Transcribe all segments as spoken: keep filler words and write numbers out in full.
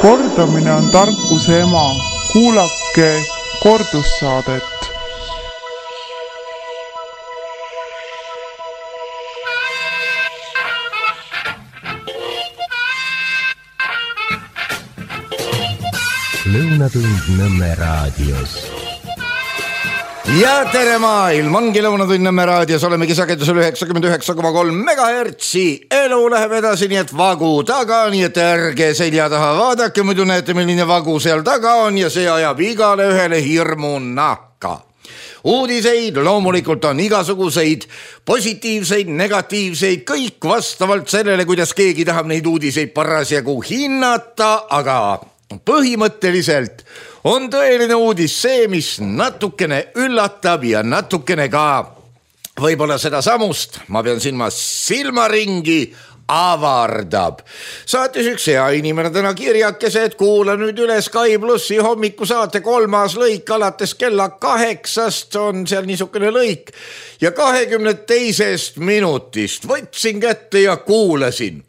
Kordamine on tarkuse ema. Kuulake kordussaadet. Lõunatund Nõmme raadios. Ja tere maailm, ongi Lõunatund Nõmme raadios, olemegi sagedusel üheksakümmend üheksa koma kolm megahertsi. Elu läheb edasi, nii et vagu taga, nii et ärge selja taha vaadake, muidu näete, milline vagu seal taga on ja see ajab igale ühele hirmu nahka. Uudiseid loomulikult on igasuguseid, positiivseid, negatiivseid, kõik vastavalt sellele, kuidas keegi tahab neid uudiseid parasjagu hinnata, aga põhimõtteliselt on tõeline uudis see, mis natukene üllatab ja natukene ka võib-olla seda samust, ma pean silma silmaringi, avardab. Saatis üks hea inimene täna kirjakese, et kuula nüüd üle Sky plussi hommikusaate kolmas lõik alates kella kaheksast on seal niisugune lõik ja kahekümne teisest minutist võtsin kätte ja kuulasin.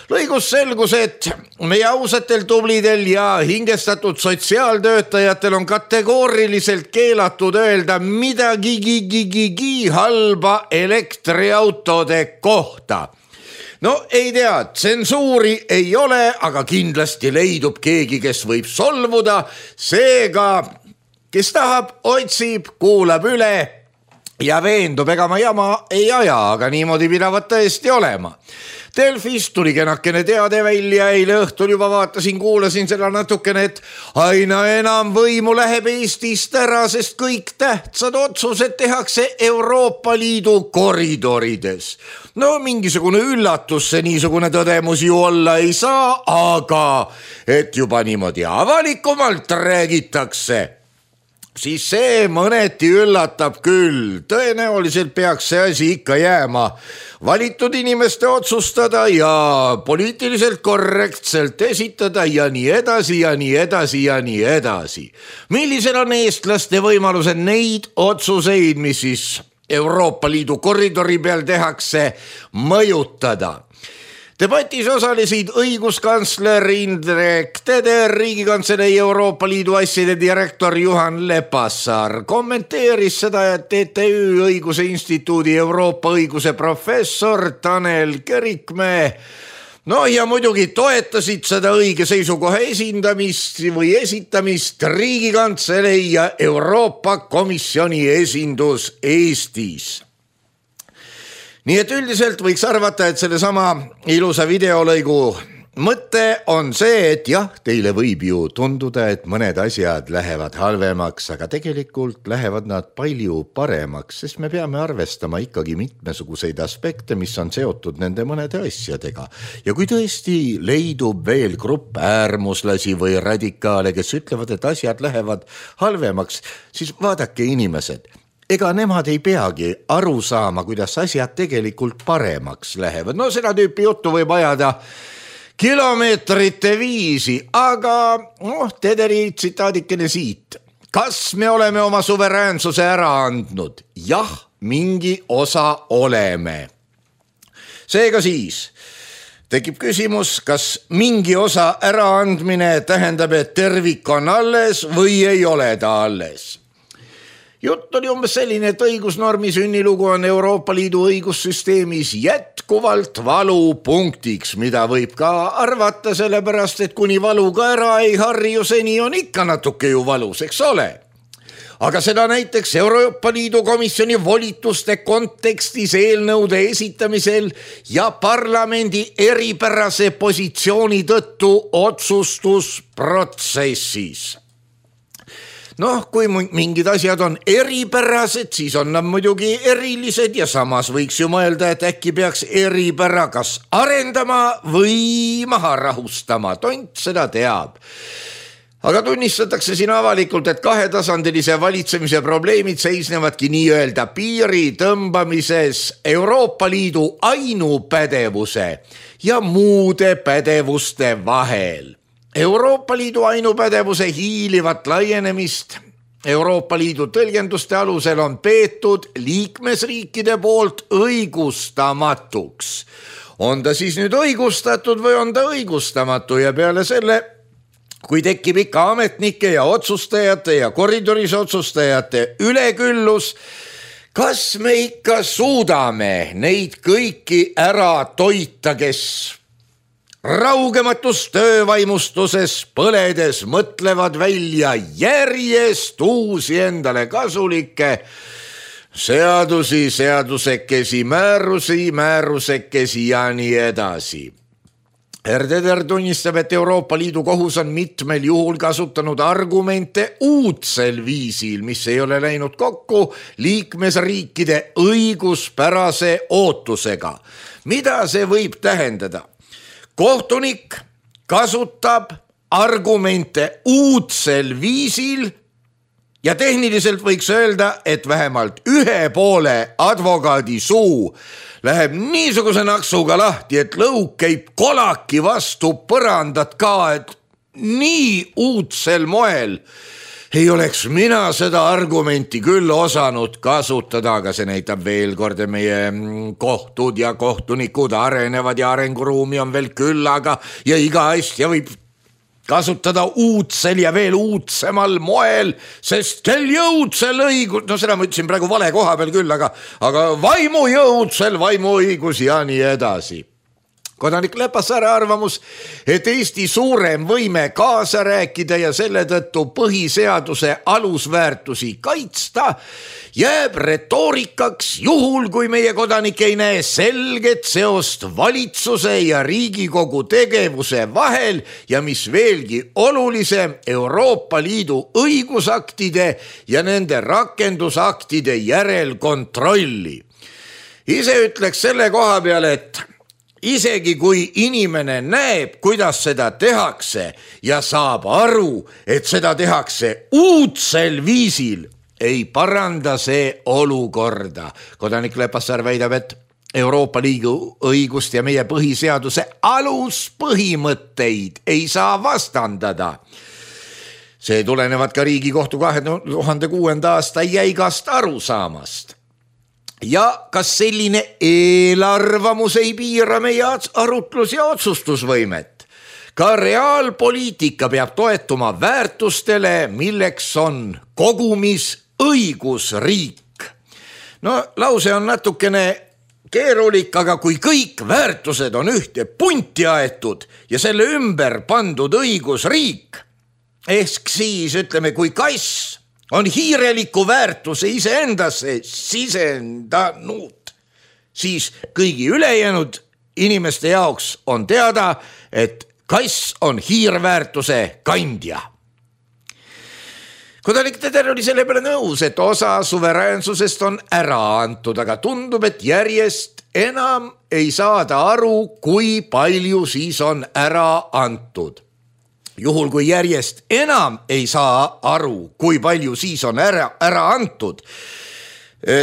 Lõigus selgus, et meie ausatel, tublidel ja hingestatud sotsiaaltöötajatel on kategooriliselt keelatud öelda midagi gigi halba elektriautode kohta. No ei tea, tsensuuri ei ole, aga kindlasti leidub keegi, kes võib solvuda. Seega, kes tahab, otsib, kuulab üle ja veendub, ega ma jama ei aja, aga niimoodi pidavat tõesti olema. Delfis tuli kenakene teade välja, eile õhtul juba vaatasin, kuulasin seda natukene, et aina enam võimu läheb Eestist ära, sest kõik tähtsad otsused tehakse Euroopa Liidu koridorides. No mingisugune üllatus see niisugune tõdemus ju olla ei saa, aga et juba niimoodi avalikumalt räägitakse, siis see mõneti üllatab küll. Tõenäoliselt peaks see asi ikka jääma valitud inimeste otsustada ja poliitiliselt korrektselt esitada ja nii edasi ja nii edasi ja nii edasi. Millised on eestlaste võimalused neid otsuseid, mis siis Euroopa Liidu koridori peal tehakse, mõjutada? Debatis osalesid õiguskantsler Indrek Teder, Riigikantselei Euroopa Liidu asjade direktor Juhan Lepassaar, kommenteeris seda, et T T Ü õiguse instituudi Euroopa õiguse professor Tanel Kerikmäe, no ja muidugi toetasid seda õige seisukoha esindamist või esitamist Riigikantselei ja Euroopa Komisjoni esindus Eestis. Nii et üldiselt võiks arvata, et selle sama ilusa videolõigu mõte on see, et jah, teile võib ju tunduda, et mõned asjad lähevad halvemaks, aga tegelikult lähevad nad palju paremaks, sest me peame arvestama ikkagi mitmesuguseid aspekte, mis on seotud nende mõnede asjadega. Ja kui tõesti leidub veel grupp äärmuslasi või radikaale, kes ütlevad, et asjad lähevad halvemaks, siis vaadake inimesed. Ega nemad ei peagi aru saama, kuidas asjad tegelikult paremaks lähevad. No seda tüüpi juttu võib ajada kilomeetrite viisi, aga noh, Tederi tsitaadikene siit. Kas me oleme oma suveräänsuse ära andnud? Jah, mingi osa oleme. Seega siis tekib küsimus, kas mingi osa äraandmine tähendab, et tervik on alles või ei ole ta alles? Jutt oli umbes selline, et õigusnormi sünnilugu on Euroopa Liidu õigussüsteemis jätkuvalt valupunktiks, mida võib ka arvata sellepärast, et kuni valuga ära ei harju, seni on ikka natuke ju valus, eks ole? Aga seda näiteks Euroopa Liidu komisjoni volituste kontekstis eelnõude esitamisel ja parlamendi eripärase positsiooni tõttu otsustusprotsessis. Noh, kui mingid asjad on eripärased, siis on nad muidugi erilised ja samas võiks ju mõelda, et äkki peaks eripära kas arendama või maha rahustama. Tont seda teab. Aga tunnistatakse siin avalikult, et kahetasandilise valitsemise probleemid seisnevadki nii-öelda piiri tõmbamises Euroopa Liidu ainupädevuse ja muude pädevuste vahel. Euroopa Liidu ainupädevuse hiilivat laienemist Euroopa Liidu tõlgenduste alusel on peetud liikmesriikide poolt õigustamatuks. On ta siis nüüd õigustatud või on ta õigustamatu ja peale selle kui tekib ikka ametnike ja otsustajate ja koridoris otsustajate üleküllus, kas me ikka suudame neid kõiki ära toita, kes raugematus töövaimustuses põledes mõtlevad välja järjest uusi endale kasulikke seadusi, seadusekesi, määrusi, määrusekesi ja nii edasi. Erdeder tunnistab, et Euroopa Liidu kohus on mitmel juhul kasutanud argumente uudsel viisil, mis ei ole läinud kokku liikmesriikide õiguspärase ootusega. Mida see võib tähendada? Kohtunik kasutab argumente uudsel viisil ja tehniliselt võiks öelda, et vähemalt ühe poole advokaadi suu läheb niisuguse naksuga lahti, et lõug käib kolaki vastu põrandat ka, et nii uudsel moel ei oleks mina seda argumenti küll osanud kasutada, aga see näitab veel kord, meie kohtud ja kohtunikud arenevad ja arenguruumi on veel küllaga ja iga asja võib kasutada uudsel ja veel uudsemal moel, sest kel jõudsel õigus, no seda ma ütlesin praegu vale koha peal küll, aga, aga vaimu jõudsel vaimu õigus ja nii edasi. Kodanik Lepassaare arvamus, et Eesti suurem võime kaasa rääkida ja selle tõttu põhiseaduse alusväärtusi kaitsta jääb retoorikaks juhul, kui meie kodanik ei näe selget seost valitsuse ja Riigikogu tegevuse vahel ja mis veelgi olulisem, Euroopa Liidu õigusaktide ja nende rakendusaktide järelkontrolli. Ise ütleks selle koha peale, et isegi kui inimene näeb, kuidas seda tehakse ja saab aru, et seda tehakse uudsel viisil, ei paranda see olukorda. Kodanik Lepassaar väidab, et Euroopa Liidu õigust ja meie põhiseaduse aluspõhimõtteid ei saa vastandada. See tulenevad ka Riigikohtu kahe tuhande kuuenda aasta jäigast arusaamast. Ja kas selline eelarvamus ei piira meie arutlus- ja otsustusvõimet? Ka reaalpoliitika peab toetuma väärtustele, milleks on kogumis õigusriik. No lause on natukene keerulik, aga kui kõik väärtused on ühte punti aetud ja selle ümber pandud õigusriik, ehk siis ütleme, kui kass on hiireliku väärtuse iseendasse sisendanud, siis kõigi ülejäänud inimeste jaoks on teada, et kass on hiirväärtuse kandja. Kodanik Teder oli selle peale nõus, et osa suveräänsusest on ära antud, aga tundub, et järjest enam ei saada aru, kui palju siis on ära antud. Juhul, kui järjest enam ei saa aru, kui palju siis on ära, ära antud,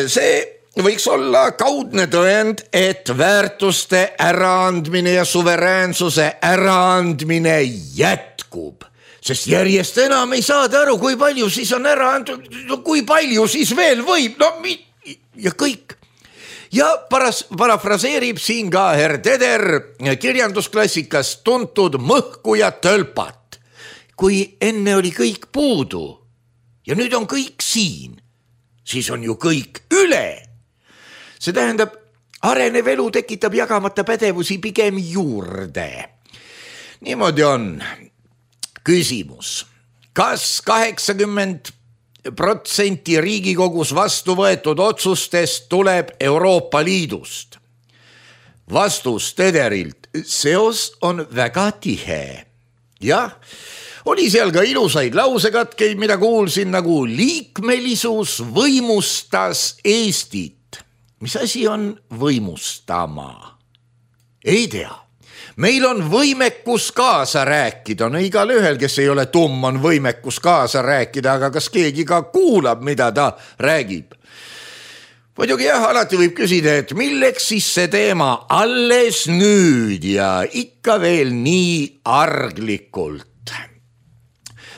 see võiks olla kaudne tõend, et väärtuste äraandmine ja suveräänsuse äraandmine jätkub. Sest järjest enam ei saada aru, kui palju siis on ära antud, no kui palju siis veel võib, no ja kõik. Ja paras, parafraseerib siin ka herr Teder kirjandusklassikas tuntud mõhku ja tölpat. Kui enne oli kõik puudu ja nüüd on kõik siin, siis on ju kõik üle. See tähendab, arenev elu tekitab jagamata pädevusi pigem juurde. Niimoodi on küsimus, kas kaheksakümmend protsenti Riigikogus vastu võetud otsustest tuleb Euroopa Liidust? Vastus Tederilt, seos on väga tihe. Jah, oli seal ka ilusaid lausekatkeid, mida kuulsin, nagu liikmelisus võimustas Eestit. Mis asi on võimustama? Ei tea. Meil on võimekus kaasa rääkida, no igal ühel, kes ei ole tumm, on võimekus kaasa rääkida, aga kas keegi ka kuulab, mida ta räägib? Muidugi jah, alati võib küsida, et milleks siis see teema alles nüüd ja ikka veel nii arglikult.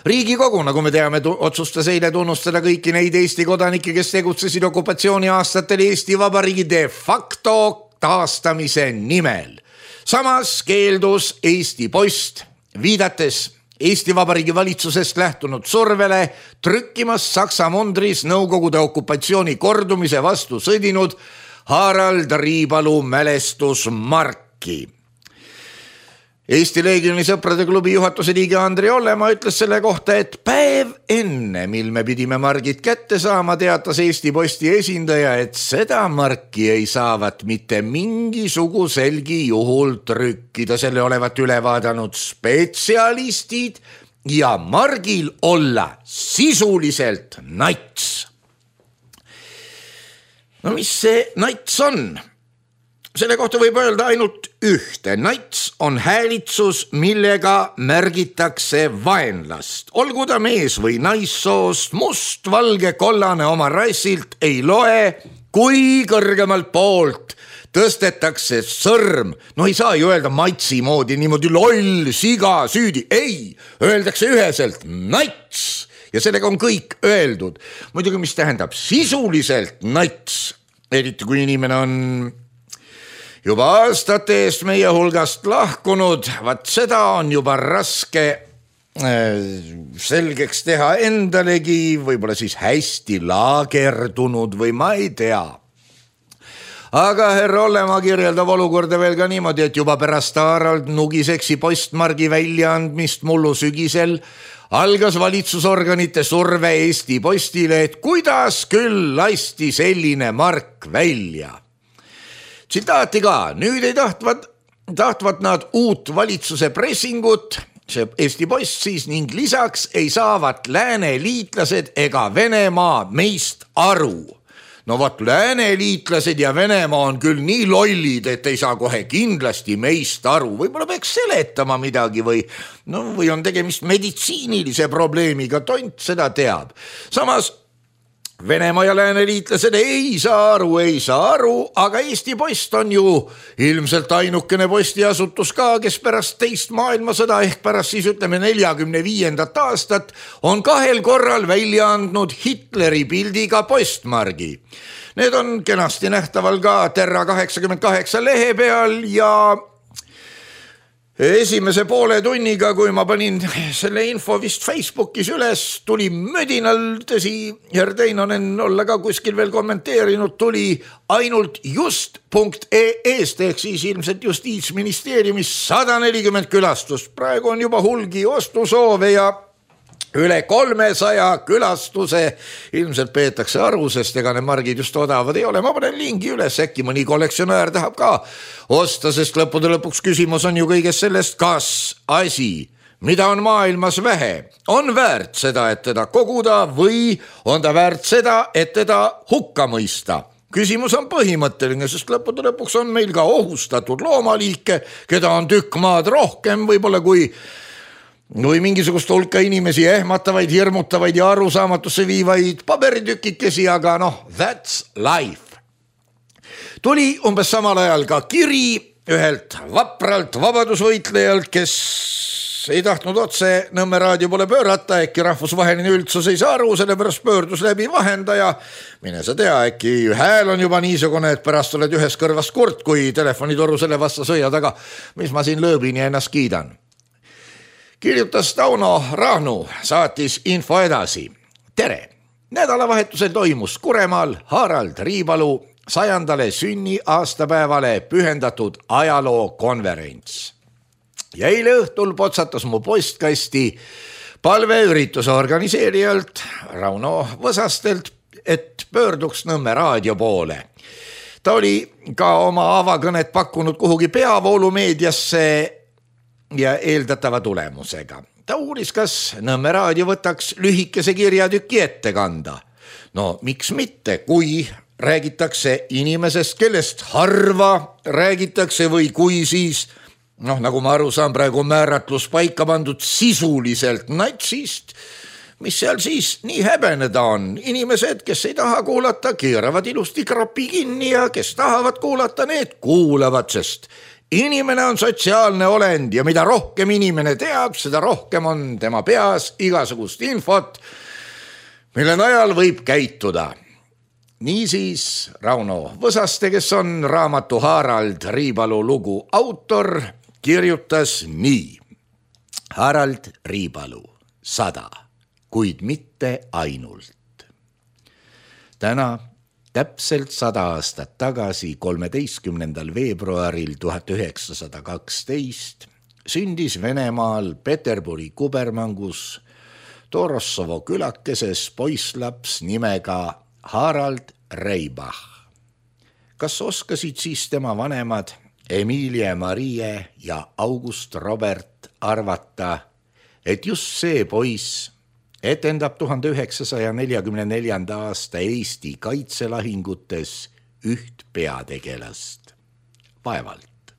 Riigikogu, nagu me teame, otsustas eile tunnustada kõiki neid Eesti kodanikke, kes tegutsesid okupatsiooni aastatel Eesti Vabariigi de facto taastamise nimel. Samas keeldus Eesti Post, viidates Eesti Vabariigi valitsusest lähtunud survele trükkimas Saksa mundris Nõukogude okupatsiooni kordumise vastu sõdinud Harald Riibalu mälestusmarki. Eesti Leegioni sõprade klubi juhatuse liige Andri Ollemaa ütles selle kohta, et päev enne, mil me pidime margid kätte saama, teatas Eesti Posti esindaja, et seda marki ei saavat mitte mingisuguselgi juhul trükkida, selle olevat üle vaadanud spetsialistid ja margil olla sisuliselt nats. No mis see nats on? Selle kohta võib öelda ainult ühte. Nats on häälitsus, millega märgitakse vaenlast. Olgu ta mees või naissoost, must, valge, kollane oma rassilt ei loe, kui kõrgemalt poolt tõstetakse sõrm. No ei saa ju öelda matsi moodi niimoodi loll, siga, süüdi. Ei, öeldakse üheselt nats ja sellega on kõik öeldud. Muidugi, mis tähendab sisuliselt nats, eriti kui inimene on juba aastate eest meie hulgast lahkunud, vaat seda on juba raske selgeks teha endalegi, võib-olla siis hästi laagerdunud või ma ei tea. Aga härra Ollemaa kirjeldab olukorda veel ka niimoodi, et juba pärast Harald Nugiseksi postmargi väljaandmist mullu sügisel algas valitsusorganite surve Eesti Postile, et kuidas küll lasti selline mark välja. Tsitaati ka, nüüd ei tahtvad, tahtvad nad uut valitsuse pressingut, see Eesti Post siis, ning lisaks ei saavat lääne liitlased ega Venemaa meist aru. No vot, lääne liitlased ja Venemaa on küll nii lollid, et ei saa kohe kindlasti meist aru. Võib-olla peaks seletama midagi või, no, või on tegemist meditsiinilise probleemiga, tont seda teab. Samas Venemaa ja lääne liitlased ei saa aru, ei saa aru, aga Eesti Post on ju ilmselt ainukene postiasutus ka, kes pärast teist maailmasõda ehk pärast siis ütleme neljakümne viiendat aastat on kahel korral välja andnud Hitleri pildiga postmargi. Need on kenasti nähtaval ka Terra kaheksakümmend kaheksa lehe peal ja esimese poole tunniga, kui ma panin selle info vist Facebookis üles, tuli mödinal, tõsi, Herr Teinonen olla ka kuskil veel kommenteerinud, tuli ainult just punkt ee-st ehk siis ilmselt Justiitsministeeriumis sada nelikümmend külastust. Praegu on juba hulgi ostusoove ja üle kolmesaja külastuse ilmselt peetakse aru, sest ega need margid just odavad ei ole. Ma panen lingi üles, äkki mõni kollektsionäär tahab ka osta, sest lõppude lõpuks küsimus on ju kõigest sellest, kas asi, mida on maailmas vähe, on väärt seda, et teda koguda või on ta väärt seda, et teda hukka mõista. Küsimus on põhimõtteline, sest lõppude lõpuks on meil ka ohustatud loomaliike, keda on tükk maad rohkem võib-olla kui või mingisugust hulka inimesi ehmatavaid, hirmutavaid ja arusaamatusse viivaid paberitükikesi, aga noh, that's life. Tuli umbes samal ajal ka kiri ühelt vapralt vabadusvõitlejalt, kes ei tahtnud otse Nõmme raadio poole pöörata, äkki rahvusvaheline üldsus ei saa aru, sellepärast pöördus läbi vahendaja. Mine sa tea, äkki hääl on juba niisugune, et pärast oled ühes kõrvas kurt, kui telefonitoru selle vasta sõiad, aga mis ma siin lööbin ja ennast kiidan. Kirjutas Tauno Rahnu, saatis info edasi. Tere! Nädalavahetusel toimus Kuremaal Harald Riibalu sajandale sünni aastapäevale pühendatud ajalookonverents. Ja eile õhtul potsatas mu postkasti palve ürituse organiseerijalt Rauno Võsastelt, et pöörduks Nõmme raadio poole. Ta oli ka oma avakõnet pakkunud kuhugi peavoolumeediasse ja eeldatava tulemusega. Ta uuris, kas Nõmme raadio võtaks lühikese kirjatüki ette kanda. No miks mitte, kui räägitakse inimesest, kellest harva räägitakse või kui siis, noh nagu ma aru saan, praegu määratlus paika pandud sisuliselt natsist, mis seal siis nii häbeneda on. Inimesed, kes ei taha kuulata, keeravad ilusti krapi kinni ja kes tahavad kuulata, need kuulavad, sest inimene on sotsiaalne olend ja mida rohkem inimene teab, seda rohkem on tema peas igasugust infot, mille najal võib käituda. Niisiis Rauno Võsaste, kes on raamatu Harald Riibalu lugu autor, kirjutas nii. Harald Riipalu, sada, kuid mitte ainult. Täna täpselt sada aastat tagasi, kolmeteistkümnendal veebruaril tuhat üheksasada kaksteist sündis Venemaal Peterburi kubermangus Torossovo külakeses poisslaps nimega Harald Reibach. Kas oskasid siis tema vanemad Emilie Marie ja August Robert arvata, et just see poiss etendab tuhande üheksasaja neljakümne neljanda aasta Eesti kaitselahingutes üht peategelast? Vaevalt.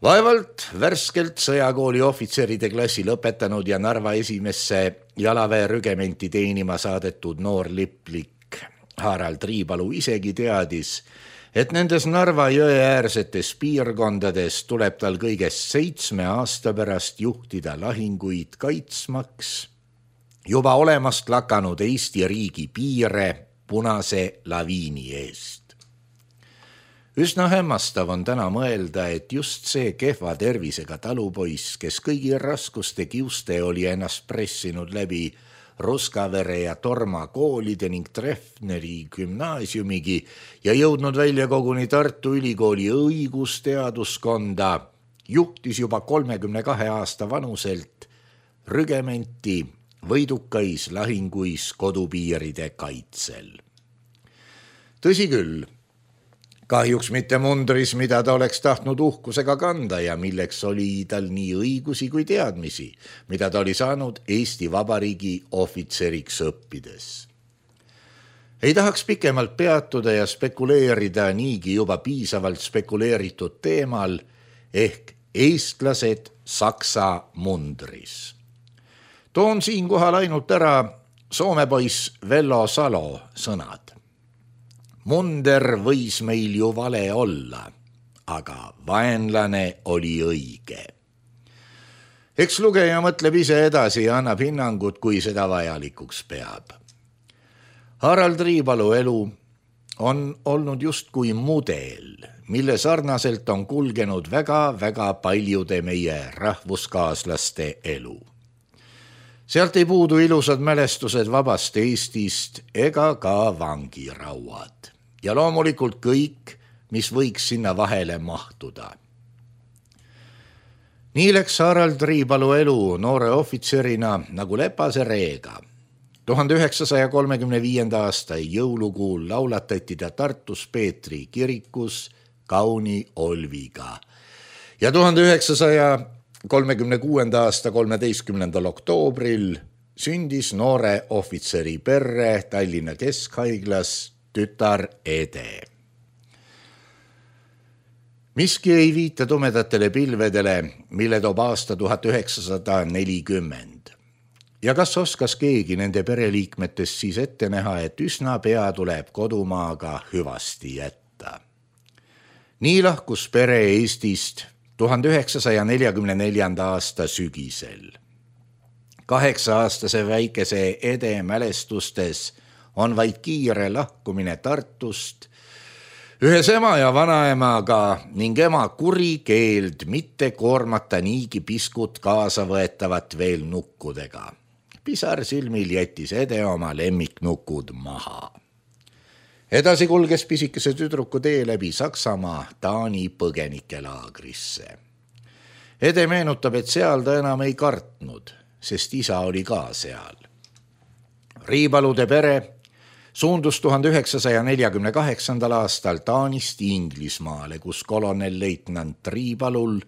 Vaevalt värskelt sõjakooli ohvitseride klassi lõpetanud ja Narva esimesse jalaväe rügementi teenima saadetud noor liplik Harald Riipalu isegi teadis, et nendes Narva jõeäärsetes piirkondades tuleb tal kõigest seitsme aasta pärast juhtida lahinguid kaitsmaks juba olemast lakanud Eesti riigi piire punase laviini eest. Üsna hämmastav on täna mõelda, et just see kehva tervisega talupoiss, kes kõigi raskuste kiuste oli ennast pressinud läbi Ruskavere ja Torma koolide ning Treffneri gümnaasiumigi ja jõudnud välja koguni Tartu Ülikooli õigusteaduskonda, juhtis juba kolmekümne kahe aasta vanuselt rügementi võidukais lahinguis kodupiiride kaitsel. Tõsi küll, kahjuks mitte mundris, mida ta oleks tahtnud uhkusega kanda ja milleks oli tal nii õigusi kui teadmisi, mida ta oli saanud Eesti Vabariigi ohvitseriks õppides. Ei tahaks pikemalt peatuda ja spekuleerida niigi juba piisavalt spekuleeritud teemal ehk eestlased Saksa mundris. Toon siinkohal ainult ära soomepoiss Vello Salo sõnad. Munder võis meil ju vale olla, aga vaenlane oli õige. Eks lugeja mõtleb ise edasi ja annab hinnangut, kui seda vajalikuks peab. Harald Riipalu elu on olnud justkui mudel, mille sarnaselt on kulgenud väga-väga paljude meie rahvuskaaslaste elu. Sealt ei puudu ilusad mälestused vabast Eestist ega ka vangirauad. Ja loomulikult kõik, mis võiks sinna vahele mahtuda. Nii läks Harald Riipalu elu noore ohvitserina nagu lepase reega. tuhande üheksasaja kolmekümne viienda aasta jõulukuul laulatati ta Tartus Peetri kirikus kauni Olviga. Ja tuhande üheksasaja kolmekümne kuuenda aasta kolmeteistkümnendal oktoobril sündis noore ohvitseri perre Tallinna Keskhaiglas tütar Ede. Miski ei viita tumedatele pilvedele, mille toob aasta tuhat üheksasada nelikümmend. Ja kas oskas keegi nende pereliikmetest siis ette näha, et üsna pea tuleb kodumaaga hüvasti jätta. Nii lahkus pere Eestist tuhande üheksasaja neljakümne neljanda aasta sügisel. Kaheksa-aastase väikese Ede mälestustes on vaid kiire lahkumine Tartust, ühes ema ja vanaemaga ning ema kuri keeld mitte koormata niigi piskut kaasa võetavat veel nukkudega. Pisar silmil jättis Ede oma lemmiknukud maha. Edasi kulges pisikese tüdruku tee läbi Saksamaa Taani põgenikelaagrisse. Ede meenutab, et seal ta enam ei kartnud, sest isa oli ka seal. Riipalude pere suundus tuhande üheksasaja neljakümne kaheksandal aastal Taanist Inglismaale, kus kolonelleitnant Riipalul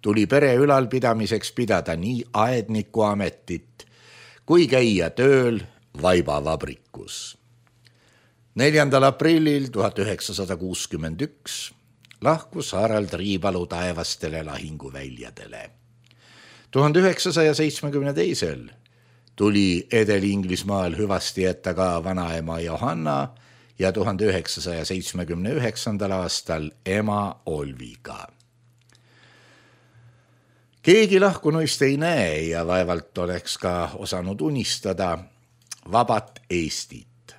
tuli pere ülalpidamiseks pidada nii aedniku ametit kui käia tööl vaibavabrikus. neljandal aprillil tuhat üheksasada kuuskümmend üks lahkus Harald Riipalu taevastele lahinguväljadele. tuhande üheksasaja seitsmekümne teisel tuli Edel Inglismaal hüvasti jätta ka vanaema Johanna ja tuhande üheksasaja seitsmekümne üheksandal aastal ema Olviga. Keegi lahkunuist ei näe ja vaevalt oleks ka osanud unistada vabat Eestit.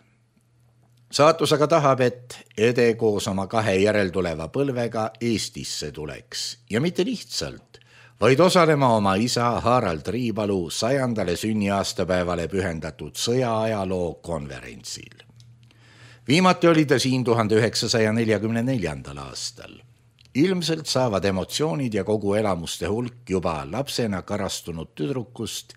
Saatus aga tahab, et Ede koos oma kahe järeltuleva põlvega Eestisse tuleks ja mitte lihtsalt, vaid osalema oma isa Harald Riibalu sajandale sünniaastapäevale pühendatud sõjaajaloo konverentsil. Viimati oli ta siin tuhande üheksasaja neljakümne neljandal aastal. Ilmselt saavad emotsioonid ja kogu elamuste hulk juba lapsena karastunud tüdrukust,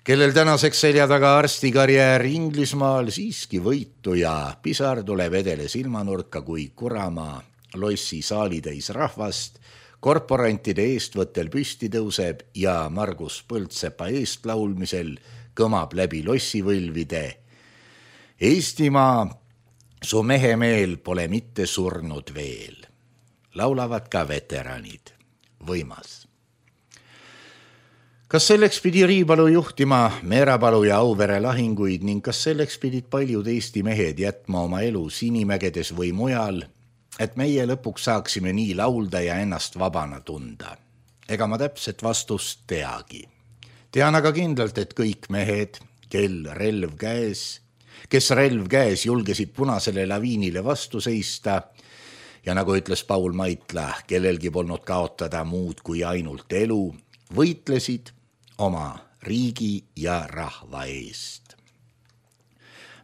kellel tänaseks selja taga arstikarjäär Inglismaal siiski võitu ja pisar tuleb edele silmanurka, kui Kuramaa lossi saalitäis rahvast korporantide eestvõttel püsti tõuseb ja Margus Põldsepa eestlaulmisel kõmab läbi lossivõlvide. Eestimaa, su mehemeel pole mitte surnud veel. Laulavad ka veteranid. Võimas. Kas selleks pidi Riibalu juhtima Meerapalu ja Auvere lahinguid ning kas selleks pidid paljud Eesti mehed jätma oma elu Sinimägedes või mujal, et meie lõpuks saaksime nii laulda ja ennast vabana tunda? Ega ma täpset vastust teagi. Tean aga kindlalt, et kõik mehed, kel relv käes, kes relv käes julgesid punasele laviinile vastu seista, ja nagu ütles Paul Maitla, kellelgi polnud kaotada muud kui ainult elu, võitlesid oma riigi ja rahva eest.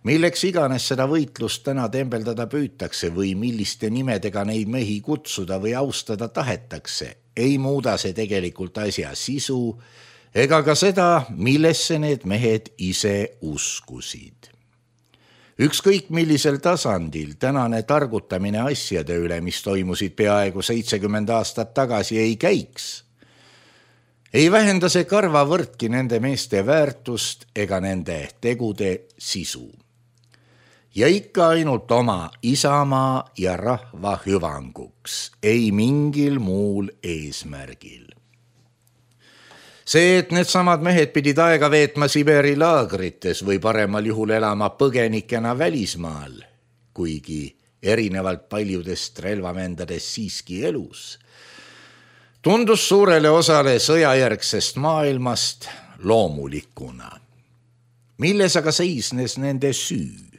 Milleks iganes seda võitlust täna tembeldada püütakse või milliste nimedega neid mehi kutsuda või austada tahetakse, ei muuda see tegelikult asja sisu ega ka seda, millesse need mehed ise uskusid. Ükskõik millisel tasandil tänane targutamine asjade üle, mis toimusid peaaegu seitsekümmend aastat tagasi, ei käiks. Ei vähenda see karva võrdki nende meeste väärtust ega nende tegude sisu. Ja ikka ainult oma isamaa ja rahva hüvanguks, ei mingil muul eesmärgil. See, et need samad mehed pidid aega veetma Siberi laagrites või paremal juhul elama põgenikena välismaal, kuigi erinevalt paljudest relvavendadest siiski elus, tundus suurele osale sõjajärgsest maailmast loomulikuna. Milles aga seisnes nende süü?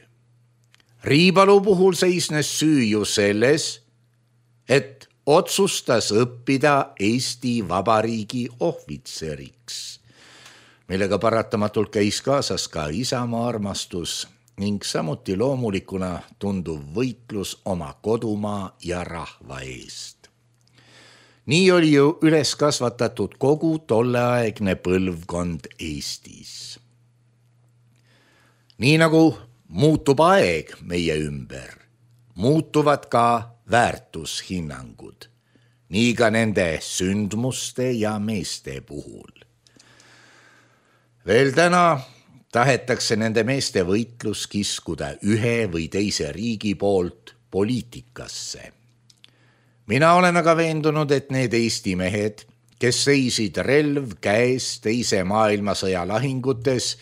Riibalu puhul seisnes süü ju selles, et otsustas õppida Eesti Vabariigi ohvitseriks, millega paratamatult käis kaasas ka isamaa armastus ning samuti loomulikuna tunduv võitlus oma kodumaa ja rahva eest. Nii oli ju üles kasvatatud kogu tolleaegne põlvkond Eestis. Nii nagu muutub aeg meie ümber, muutuvad ka väärtushinnangud, nii ka nende sündmuste ja meeste puhul. Veel täna tahetakse nende meeste võitlus kiskuda ühe või teise riigi poolt poliitikasse. Mina olen aga veendunud, et need Eesti mehed, kes seisid relv käes teise maailmasõja lahingutes,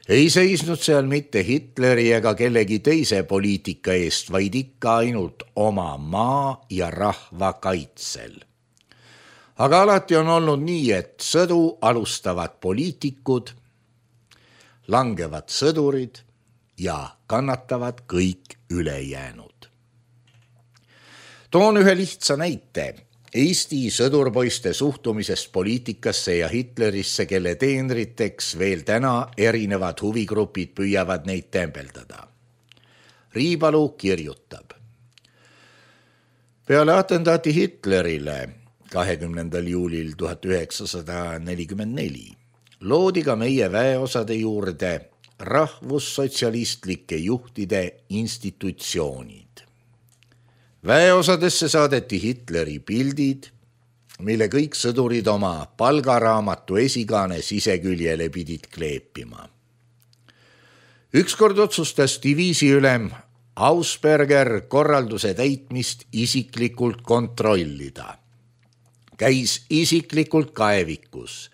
ei seisnud seal mitte Hitleri ega kellegi teise poliitika eest, vaid ikka ainult oma maa ja rahva kaitsel. Aga alati on olnud nii, et sõdu alustavad poliitikud, langevad sõdurid ja kannatavad kõik ülejäänud. Toon ühe lihtsa näite Eesti sõdurpoiste suhtumisest poliitikasse ja Hitlerisse, kelle teenriteks veel täna erinevad huvigrupid püüavad neid tembeldada. Riibalu kirjutab. Peale atentaati Hitlerile kahekümnendal juulil tuhat üheksasada nelikümmend neli loodi ka meie väeosade juurde rahvussotsialistlike juhtide institutsioonid. Väeosadesse saadeti Hitleri pildid, mille kõik sõdurid oma palgaraamatu esikaane siseküljele pidid kleepima. Ükskord otsustas diviisiülem Ausberger korralduse täitmist isiklikult kontrollida. Käis isiklikult kaevikus,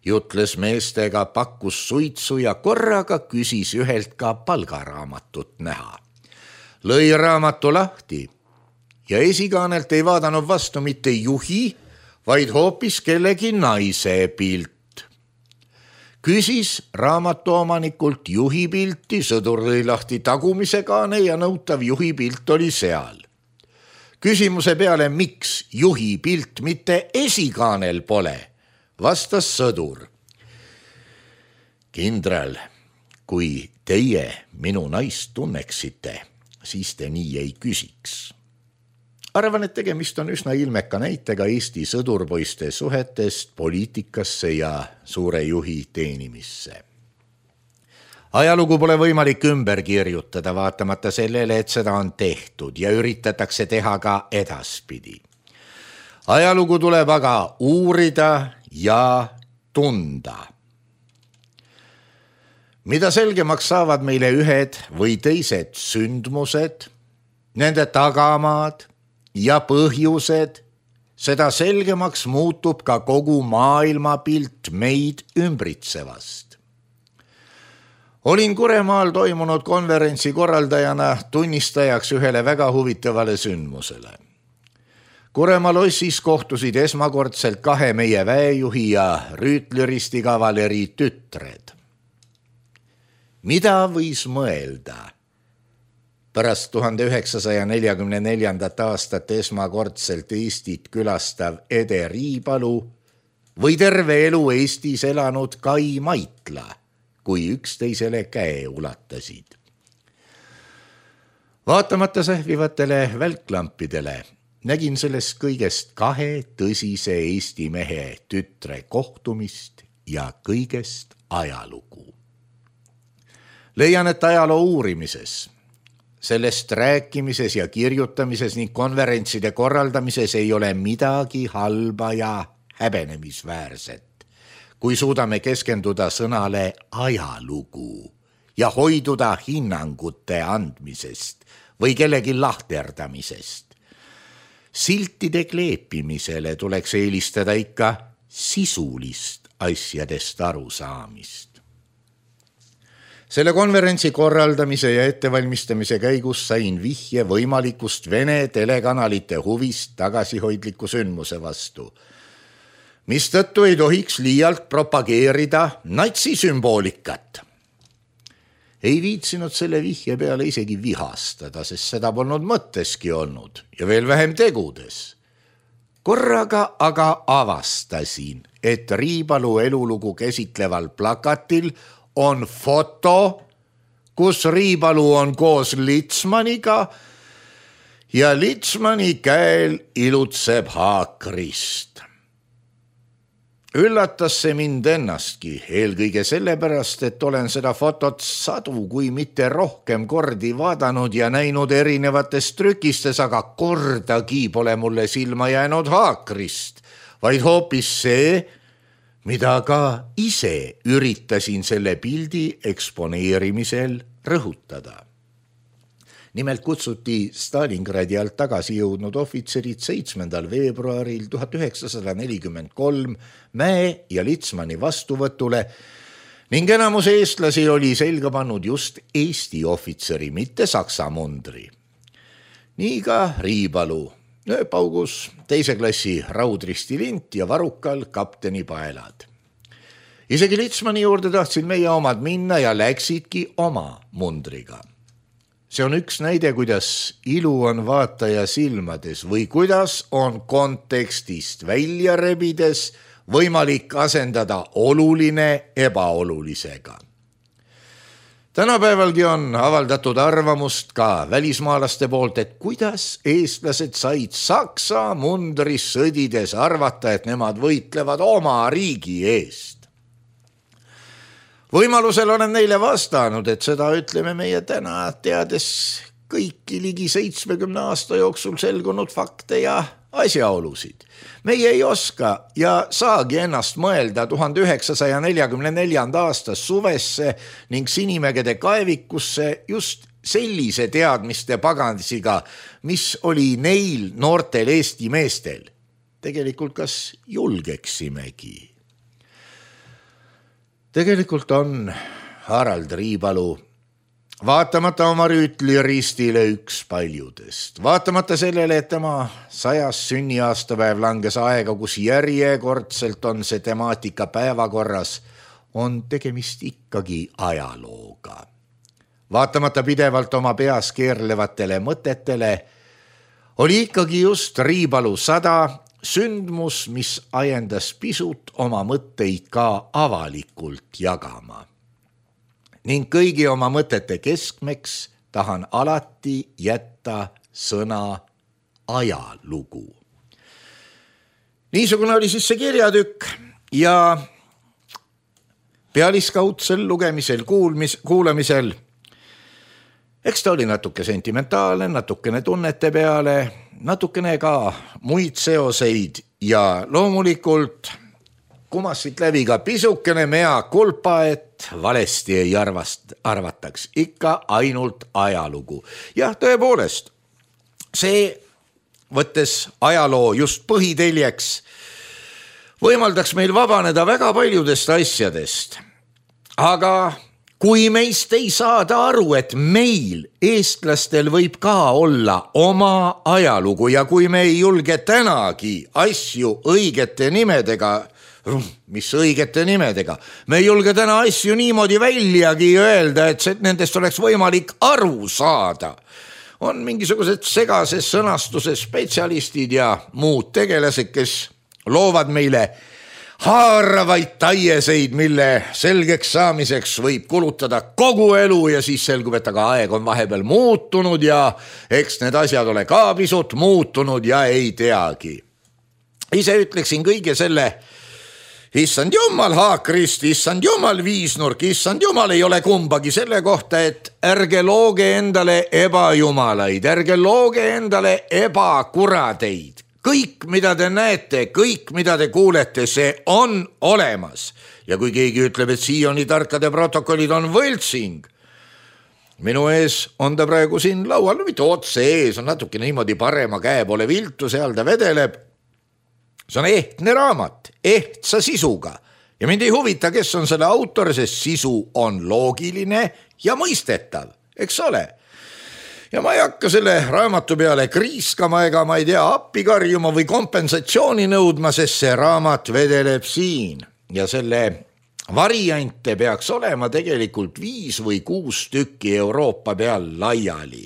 jutles meestega, pakkus suitsu ja korraga küsis ühelt ka palgaraamatut näha. Lõi raamatu lahti ja esikaanelt ei vaadanud vastu mitte juhi, vaid hoopis kellegi naise pilt. Küsis raamatuomanikult juhi pilti, sõdur lõi lahti tagumise kaane ja nõutav juhi pilt oli seal. Küsimuse peale, miks juhi pilt mitte esikaanel pole, vastas sõdur. Kindral, kui teie minu naist tunneksite, siis te nii ei küsiks. Arvan, et tegemist on üsna ilmeka näitega Eesti sõdurpoiste suhetest poliitikasse ja suure juhi teenimisse. Ajalugu pole võimalik ümber kirjutada, vaatamata sellele, et seda on tehtud ja üritatakse teha ka edaspidi. Ajalugu tuleb aga uurida ja tunda. Mida selgemaks saavad meile ühed või teised sündmused, nende tagamaad ja põhjused, seda selgemaks muutub ka kogu maailmapilt meid ümbritsevast. Olin Kuremaal toimunud konverentsi korraldajana tunnistajaks ühele väga huvitavale sündmusele. Kuremaa lossis kohtusid esmakordselt kahe meie väejuhi ja rüütleristi kavaleri tütred. Mida võis mõelda? Pärast tuhande üheksasaja neljakümne neljandat aastat esmakordselt Eestit külastav Ede Riipalu või terve elu Eestis elanud Kai Maitla, kui üksteisele käe ulatasid. Vaatamata sähvivatele välklampidele nägin sellest kõigest kahe tõsise Eesti mehe tütre kohtumist ja kõigest ajalugu. Leian, et ajaloo uurimises, sellest rääkimises ja kirjutamises ning konverentside korraldamises ei ole midagi halba ja häbenemisväärset, kui suudame keskenduda sõnale ajalugu ja hoiduda hinnangute andmisest või kellegi lahterdamisest. Siltide kleepimisele tuleks eelistada ikka sisulist asjadest arusaamist. Selle konverentsi korraldamise ja ettevalmistamise käigus sain vihje võimalikust Vene telekanalite huvist tagasihoidliku sündmuse vastu, mistõttu ei tohiks liialt propageerida natsisümboolikat. Ei viitsinud selle vihje peale isegi vihastada, sest seda polnud mõtteski olnud ja veel vähem tegudes. Korraga aga avastasin, et Riipalu elulugu käsitleval plakatil on foto, kus Riipalu on koos Litsmaniga ja Litsmani käel ilutseb haakrist. Üllatas see mind ennastki, eelkõige sellepärast, et olen seda fotot sadu, kui mitte rohkem kordi vaadanud ja näinud erinevates trükistes, aga kordagi pole mulle silma jäänud haakrist, vaid hoopis see, mida ka ise üritasin selle pildi eksponeerimisel rõhutada. Nimelt kutsuti Stalingradi alt tagasi jõudnud ohvitserid seitsmendal veebruaril tuhat üheksasada nelikümmend kolm Mäe ja Litsmani vastuvõtule ning enamus eestlasi oli selga pannud just Eesti ohvitseri, mitte saksa mundri. Nii ka Riipalu, nööpaugus teise klassi raudristi lint ja varukal kapteni paelad. Isegi Litsmani juurde tahtsid meie omad minna ja läksidki oma mundriga. See on üks näide, kuidas ilu on vaataja silmades või kuidas on kontekstist välja rebides võimalik asendada oluline ebaolulisega. Tänapäevalgi on avaldatud arvamust ka välismaalaste poolt, et kuidas eestlased said Saksa mundris sõdides arvata, et nemad võitlevad oma riigi eest. Võimalusel olen neile vastanud, et seda ütleme meie täna teades kõiki ligi seitsmekümne aasta jooksul selgunud fakte ja asjaolusid. Meie ei oska ja saagi ennast mõelda tuhande üheksasaja neljakümne neljanda aasta suvesse ning Sinimägede kaevikusse just sellise teadmiste pagansiga, mis oli neil noortel Eesti meestel. Tegelikult kas julgeksimegi? Tegelikult on Harald Riipalu vaatamata oma rüütliristile üks paljudest. Vaatamata sellele, et tema sajas sünniaastapäev langes aega, kus järjekordselt on see temaatika päevakorras, on tegemist ikkagi ajalooga. Vaatamata pidevalt oma peas keerlevatele mõtetele, oli ikkagi just Riipalu sada sündmus, mis ajendas pisut oma mõtteid ka avalikult jagama. Ning kõigi oma mõtete keskmeks tahan alati jätta sõna ajalugu. Niisugune oli siis see kirjatükk ja pealiskaudsel lugemisel, kuulmis, kuulamisel eks ta oli natuke sentimentaalne, natukene tunnete peale, natukene ka muid seoseid ja loomulikult kumas siit läbi ka pisukene mea kulpa, et valesti ei arvast, arvataks ikka ainult ajalugu. Jah, tõepoolest, see võttes ajaloo just põhiteljeks võimaldaks meil vabaneda väga paljudest asjadest. Aga kui meist ei saada aru, et meil, eestlastel, võib ka olla oma ajalugu ja kui me ei julge tänagi asju õigete nimedega, mis õigete nimedega, me ei julge täna asju niimoodi väljagi öelda, et nendest oleks võimalik aru saada. On mingisugused segases sõnastuse spetsialistid ja muud tegelased, kes loovad meile haaravaid taieseid, mille selgeks saamiseks võib kulutada kogu elu ja siis selgub, et aga aeg on vahepeal muutunud ja eks need asjad ole ka pisut muutunud ja ei teagi. Ise ütleksin kõige selle, issand jumal haakrist, issand jumal viisnurk, issand jumal ei ole kumbagi selle kohta, et ärge looge endale ebajumalaid, ärge looge endale ebakuradeid. Kõik, mida te näete, kõik, mida te kuulete, see on olemas. Ja kui keegi ütleb, et Sioni tarkade protokollid on võltsing, minu ees on ta praegu siin laual, no mitte otse ees, on natuke niimoodi parema käe poole viltu, seal ta vedeleb. See on ehtne raamat, ehtsa sisuga ja mind ei huvita, kes on selle autor, sest sisu on loogiline ja mõistetav, eks ole. Ja ma ei hakka selle raamatu peale kriiskama ega ma ei tea appi karjuma või kompensatsiooni nõudma, sest see raamat vedeleb siin ja selle variante peaks olema tegelikult viis või kuus tükki Euroopa peal laiali.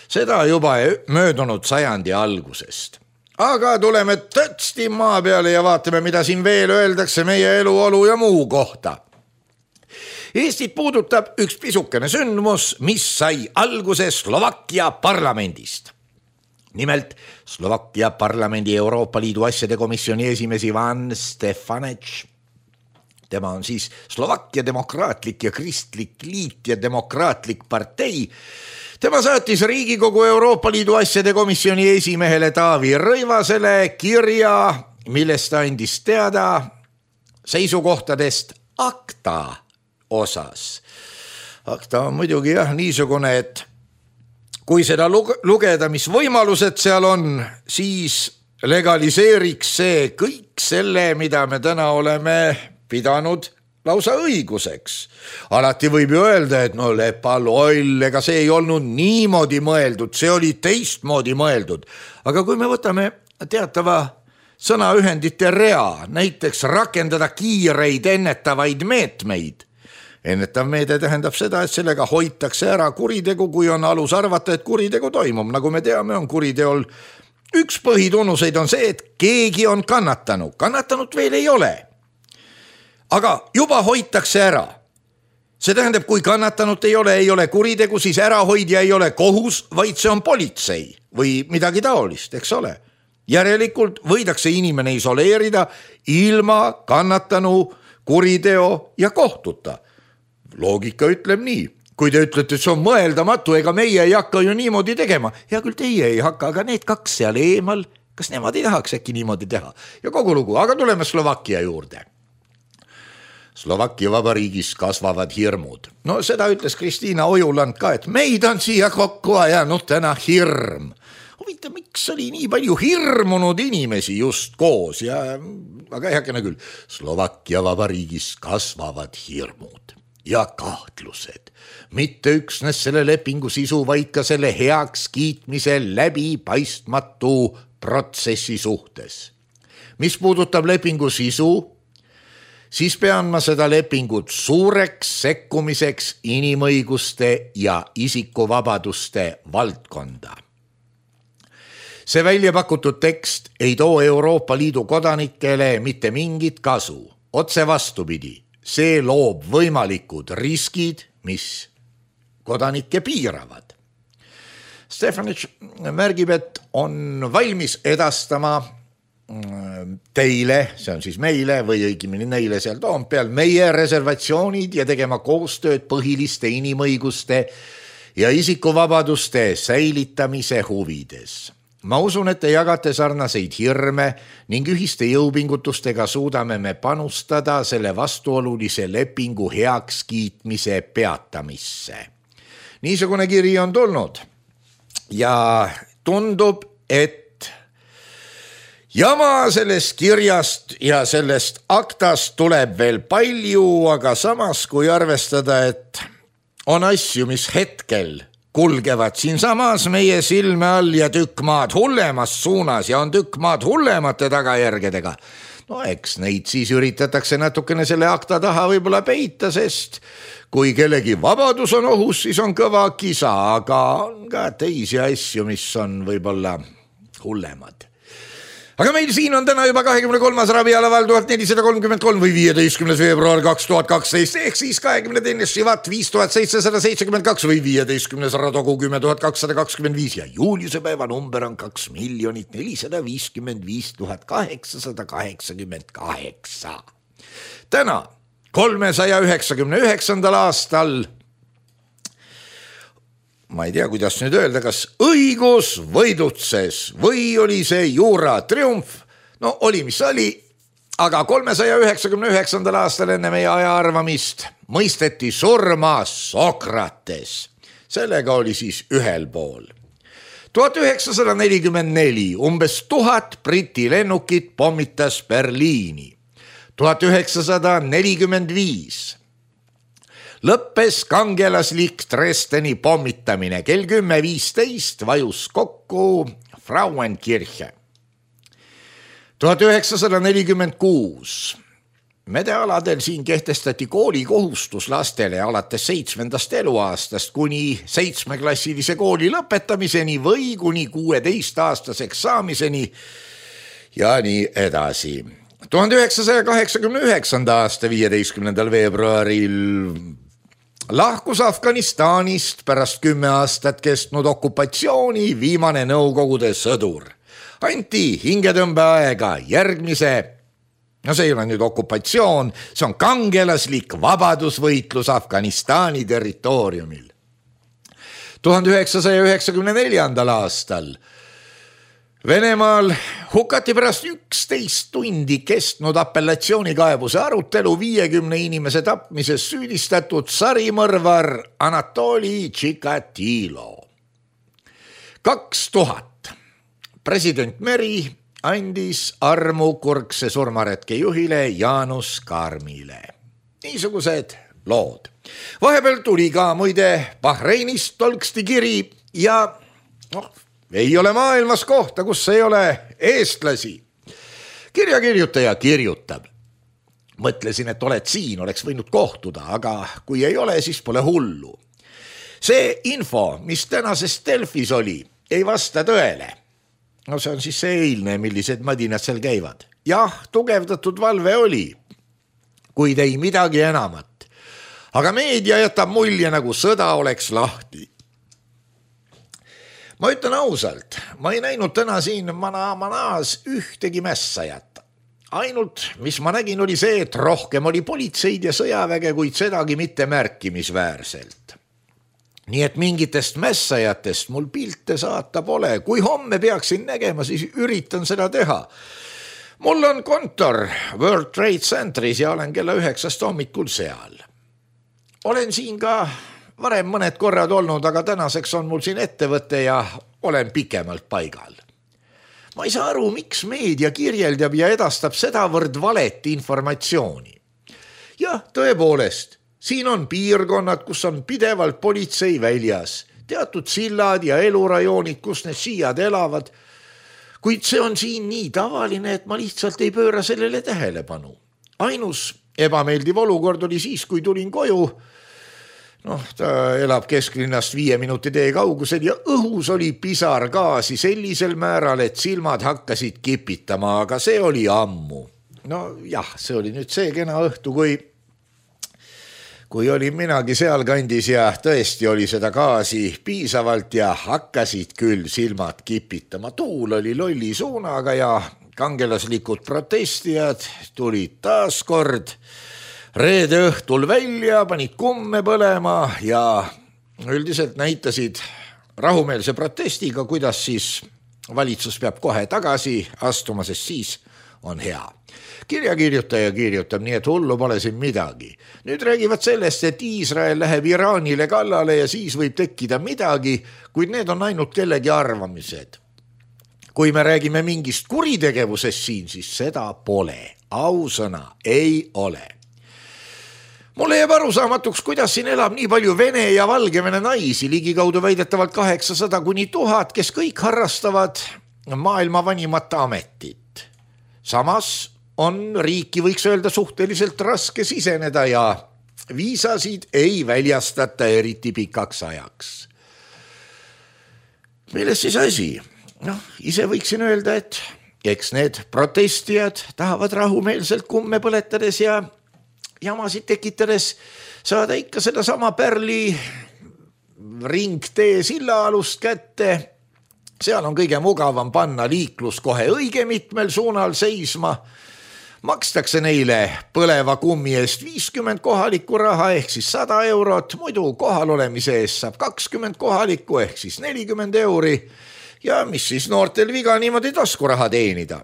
Seda juba möödunud sajandi algusest. Aga tuleme tõtsti maa peale ja vaatame, mida siin veel öeldakse meie eluolu ja muu kohta. Eestit puudutab üks pisukene sündmus, mis sai alguse Slovakkia parlamendist. Nimelt Slovakkia parlamendi Euroopa Liidu asjade komisjoni esimees Ivan Stefanec. Tema on siis Slovakkia demokraatlik ja kristlik liit ja demokraatlik partei. Tema saatis Riigikogu Euroopa Liidu asjade komisjoni esimehele Taavi Rõivasele kirja, millest ta andis teada seisukohtadest akta osas. Akta on muidugi jah niisugune, et kui seda lugeda, mis võimalused seal on, siis legaliseeriks see kõik selle, mida me täna oleme pidanud lausa õiguseks. Alati võib ju öelda, et no lepaloll, ega see ei olnud niimoodi mõeldud, see oli teistmoodi mõeldud. Aga kui me võtame teatava sõnaühendite rea, näiteks rakendada kiireid ennetavaid meetmeid, ennetav meede tähendab seda, et sellega hoitakse ära kuritegu, kui on alus arvata, et kuritegu toimub. Nagu me teame, on kuriteol üks põhitunnuseid on see, et keegi on kannatanud. Kannatanut veel ei ole. Aga juba hoitakse ära. See tähendab, kui kannatanut ei ole, ei ole kuritegu, siis ärahoidja ei ole kohus, vaid see on politsei või midagi taolist, eks ole. Järelikult võidakse inimene isoleerida ilma kannatanu kuriteo ja kohtuta. Loogika ütleb nii. Kui te ütlete, et see on mõeldamatu, ega meie ei hakka ju niimoodi tegema. Ja küll teie ei hakka, aga need kaks seal eemal, kas nemad ei tahaks äkki niimoodi teha? Ja kogu lugu, aga tuleme Slovakkia juurde. Slovakkia vabariigis kasvavad hirmud. No seda ütles Kristiina Ojuland ka, et meid on siia kokku ajanud täna hirm. Huvita, miks oli nii palju hirmunud inimesi just koos ja aga ei hakene küll. Slovakkia vabariigis kasvavad hirmud ja kahtlused. Mitte üksnes selle lepingu sisu, vaid ka selle heaks kiitmise läbi paistmatu protsessi suhtes. Mis puudutab lepingu sisu, siis pean ma seda lepingut suureks sekkumiseks inimõiguste ja isikuvabaduste valdkonda. see välja pakutud tekst ei too Euroopa Liidu kodanikele mitte mingit kasu. Otse vastupidi, see loob võimalikud riskid, mis kodanikke piiravad. Stefanitš märgib, et on valmis edastama teile, see on siis meile või õigemini neile seal Toompeal, meie reservatsioonid ja tegema koostööd põhiliste inimõiguste ja isikuvabaduste säilitamise huvides. Ma usun, et te jagate sarnaseid hirme ning ühiste jõupingutustega suudame me panustada selle vastuolulise lepingu heakskiitmise peatamisse. Niisugune kiri on tulnud ja tundub, et jama sellest kirjast ja sellest aktast tuleb veel palju, aga samas kui arvestada, et on asju, mis hetkel kulgevad siin samas meie silme all ja tükk maad hullemas suunas ja on tükk maad hullemate tagajärgedega. No eks neid siis üritatakse natukene selle akta taha võib-olla peita, sest kui kellegi vabadus on ohus, siis on kõva kisa, aga on ka teisi asju, mis on võib-olla hullemad. Aga meil siin on täna juba kahekümne kolmas ravialaval tuhat nelisada kolmkümmend kolm või viieteistkümnes veebruar kaks tuhat kaksteist ehk siis kahekümne teine Šivat viis tuhat seitsesada seitsekümmend kaks või viieteistkümnes Radogu kümme tuhat kakssada kakskümmend viis ja juuliuse päeva number on kaks miljonit nelisada viiskümmend viis tuhat kaheksasada kaheksakümmend kaheksa. Täna kolmesaja üheksakümne üheksandal aastal ma ei tea, kuidas nüüd öelda, kas õigus võidutses või oli see juura triumf. No oli, mis oli, aga kolmesaja üheksakümne üheksandal aastal enne meie aja arvamist mõisteti surma Sokrates. Sellega oli siis ühel pool. tuhat üheksasada nelikümmend neli umbes tuhat Briti lennukit pommitas Berliini. tuhat üheksasada nelikümmend viis lõppes kangelaslik Dresdeni pommitamine. Kell kümme viisteist vajus kokku Frauenkirche. tuhat üheksasada nelikümmend kuus medealadel siin kehtestati koolikohustus lastele alates seitsmendast eluaastast kuni seitsmeklassilise kooli lõpetamiseni või kuni kuueteistaastaseks saamiseni ja nii edasi. tuhande üheksasaja kaheksakümne üheksanda aasta viieteistkümnendal veebruaril lahkus Afganistanist pärast kümme aastat kestnud okupatsiooni viimane Nõukogude sõdur. Anti hingetõmbeaega järgmise, no see ei ole nüüd okupatsioon, see on kangelaslik vabadusvõitlus Afganistani territooriumil. tuhande üheksasaja üheksakümne neljandal aastal Venemaal hukati pärast üksteist tundi kestnud apellatsioonikaebuse arutelu viiekümne inimese tapmises süüdistatud sarimõrvar Anatoli Tšikatilo. kaks tuhat president Meri andis armu kurgse surmaretke juhile Jaanus Karmile. Niisugused lood. Vahepeal tuli ka muide Bahreinist tolksti kiri ja noh, ei ole maailmas kohta, kus ei ole eestlasi. Kirjakirjutaja kirjutab. Mõtlesin, et oled siin, oleks võinud kohtuda, aga kui ei ole, siis pole hullu. See info, mis tänases Delfis oli, ei vasta tõele. No see on siis see eilne, millised madinad seal käivad. Jah, tugevdatud valve oli, kuid ei midagi enamat. Aga meedia jätab mulje, nagu sõda oleks lahti. Ma ütlen ausalt, ma ei näinud täna siin Mana-Manas ühtegi mässajat. Ainult, mis ma nägin, oli see, et rohkem oli politseid ja sõjaväge, kuid sedagi mitte märkimisväärselt. Nii et mingitest mässajatest mul pilte saata pole. Kui homme peaksin nägema, siis üritan seda teha. Mul on kontor World Trade Centeris ja olen kella üheksast hommikul seal. Olen siin ka varem mõned korrad olnud, aga tänaseks on mul siin ettevõte ja olen pikemalt paigal. Ma ei saa aru, miks meedia kirjeldab ja edastab sedavõrd valet informatsiooni. Jah, tõepoolest, siin on piirkonnad, kus on pidevalt politsei väljas, teatud sillad ja elurajoonid, kus need siiad elavad, kuid see on siin nii tavaline, et ma lihtsalt ei pööra sellele tähelepanu. Ainus ebameeldiv olukord oli siis, kui tulin koju Noh, ta elab kesklinnast viie minuti tee kaugusel ja õhus oli pisar gaasi sellisel määral, et silmad hakkasid kipitama, aga see oli ammu. No jah, see oli nüüd see kena õhtu, kui kui olin minagi seal kandis ja tõesti oli seda gaasi piisavalt ja hakkasid küll silmad kipitama. Tuul oli lolli suunaga ja kangelaslikud protestijad tulid taas kord reede õhtul välja, panid kumme põlema ja üldiselt näitasid rahumeelse protestiga, kuidas siis valitsus peab kohe tagasi astuma, sest siis on hea. Kirjakirjutaja kirjutab, nii et hullu pole siin midagi. Nüüd räägivad sellest, et Iisrael läheb Iraanile kallale ja siis võib tekkida midagi, kuid need on ainult kellegi arvamised. Kui me räägime mingist kuritegevusest siin, siis seda pole. Ausõna, ei ole. Mulle jääb arusaamatuks, kuidas siin elab nii palju Vene ja Valgevene naisi, ligikaudu väidetavalt kaheksasada kuni tuhat, kes kõik harrastavad maailma vanimat ametit. Samas on riiki, võiks öelda, suhteliselt raske siseneda ja viisasid ei väljastata eriti pikaks ajaks. Milles siis asi? Noh, ise võiksin öelda, et eks need protestijad tahavad rahumeelselt kumme põletades ja jamasid tekitades saada ikka seda sama Pärli ringtee silla alust kätte. Seal on kõige mugavam panna liiklus kohe õige mitmel suunal seisma. Makstakse neile põleva kummi eest viiskümmend kohalikku raha ehk siis sada eurot, muidu kohal olemise eest saab kakskümmend kohalikku ehk siis nelikümmend euri ja mis siis noortel viga niimoodi taskuraha teenida.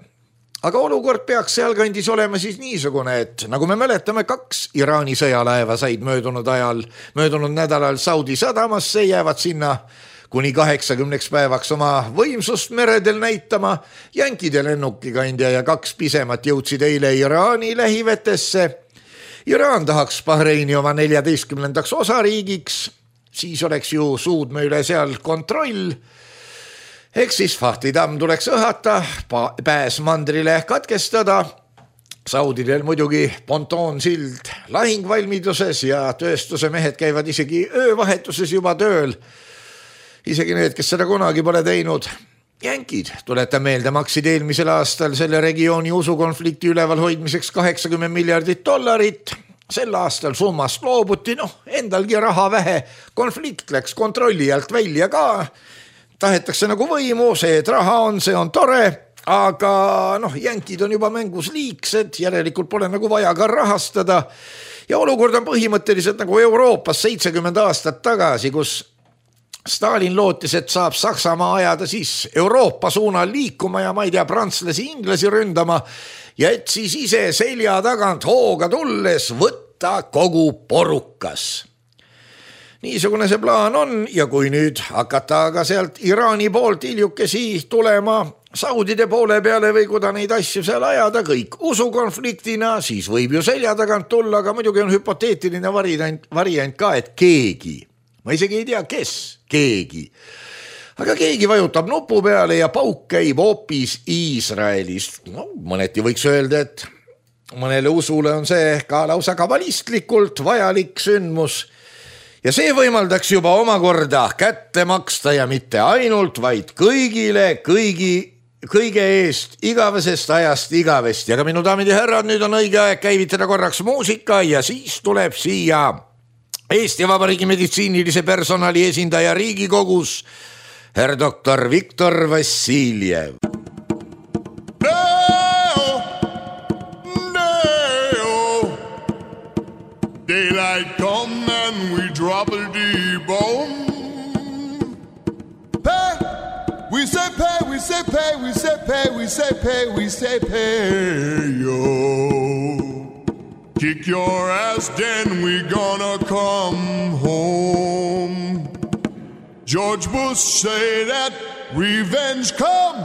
Aga olukord peaks sealkandis olema siis niisugune, et nagu me mäletame, kaks Iraani sõjalaeva said möödunud ajal, möödunud nädalal Saudi sadamasse, jäävad sinna kuni kaheksakümneks päevaks oma võimsust meredel näitama. Jänkide lennukikandja ja kaks pisemat jõudsid eile Iraani lähivetesse. Iraan tahaks Bahreini oma neljateistkümnendaks osariigiks, siis oleks ju suudme üle seal kontroll. Eks siis Fahtidamm tuleks õhata, pääs mandrile katkestada. Saudidel muidugi pontoonsild lahingvalmiduses ja tööstuse mehed käivad isegi öövahetuses juba tööl. Isegi need, kes seda kunagi pole teinud. Jänkid, tuletan meelde, maksid eelmisel aastal selle regiooni usukonflikti üleval hoidmiseks kaheksakümmend miljardit dollarit. Sel aastal summast loobuti, noh, endalgi raha vähe. Konflikt läks kontrolli alt välja ka. Tahetakse nagu võimu, see, et raha on, see on tore. Aga noh, jänkid on juba mängus liiksed, järelikult pole nagu vaja ka rahastada. Ja olukord on põhimõtteliselt nagu Euroopas seitsekümmend aastat tagasi, kus Stalin lootis, et saab Saksamaa ajada siis Euroopa suunal liikuma ja ma ei tea, prantslasi, inglasi ründama ja et siis ise selja tagant hooga tulles võtta kogu porukas. Niisugune see plaan on ja kui nüüd hakata aga sealt Iraani poolt iljukesi tulema Saudide poole peale või kuda neid asju seal ajada kõik usukonfliktina, siis võib ju selja tagant tulla, aga muidugi on hüpoteetiline variant, variant ka, et keegi, ma isegi ei tea, kes, keegi. Aga keegi vajutab nupu peale ja pauk käib hoopis Iisraelist. No, mõneti võiks öelda, et mõnele usule on see ka lausa kabalistlikult vajalik sündmus. Ja see võimaldaks juba omakorda kätte maksta ja mitte ainult, vaid kõigile, kõigi, kõige eest, igavesest ajast igavest. Ja ka minu daamid ja härrad, nüüd on õige aeg käivitada korraks muusika ja siis tuleb siia Eesti Vabariigi meditsiinilise personali esindaja Riigikogus, herr doktor Viktor Vassiljev. No, no, daylight come and we drop a D-bomb. Pay, we say pay, we say pay, we say pay, we say pay, we say pay, yo. Kick your ass, then we gonna come home. George Bush say that revenge come.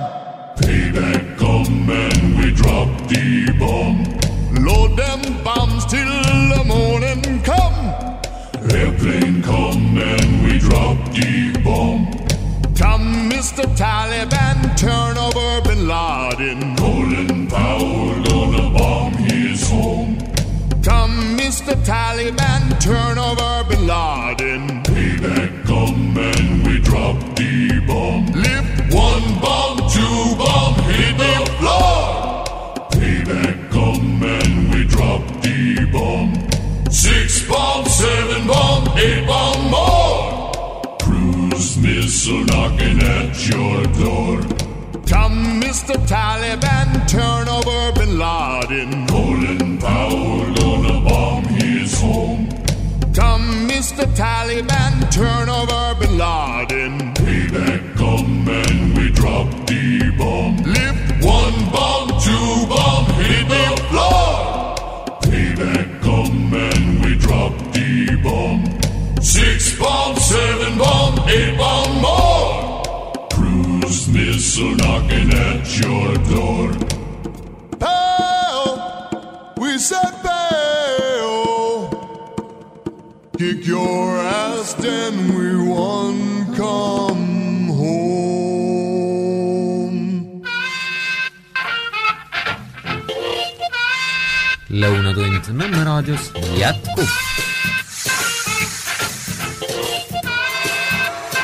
Payback come and we drop the bomb. Load them bombs till the morning come. Airplane come and we drop the bomb. Come Mister Taliban, turn over Bin Laden. Colin Powell gonna bomb his home. Come Mister Taliban, turn over Bin Laden. Payback come and we drop the bomb. Lift one bomb, two bomb, hit the floor. Payback come and we drop the bomb. Six bomb, seven bomb, eight bomb more. Cruise missile knocking at your door. Come, Mister Taliban, turn over Bin Laden. Colin Powell gonna bomb his home. Come, Mister Taliban, turn over Bin Laden. Payback come and we drop the bomb. Lift one bomb, two bomb, hit the floor. Payback come and we drop the bomb. Six bomb, seven bomb, eight bomb more. Cruise missile knocking at your door. Pow! We said pow! Kick your ass, then we won. Come home. Lõunatund Nõmme raadios jätkub.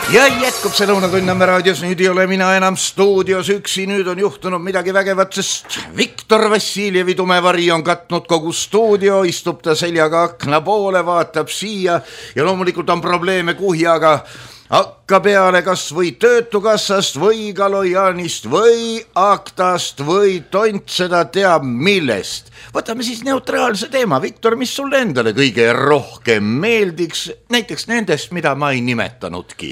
Ja jätkub see Lõunatund Nõmme raadios, nüüd ei ole mina enam stuudios üksi, nüüd on juhtunud midagi vägevat, sest Viktor Vassiljevi tumevari on katnud kogu stuudio, istub ta seljaga akna poole, vaatab siia ja loomulikult on probleeme kuhjaga. Hakka peale kas või töötukassast või Galojanist või Aktast või tont seda teab millest. Võtame siis neutraalse teema. Viktor, mis sulle endale kõige rohkem meeldiks, näiteks nendest, mida ma ei nimetanudki?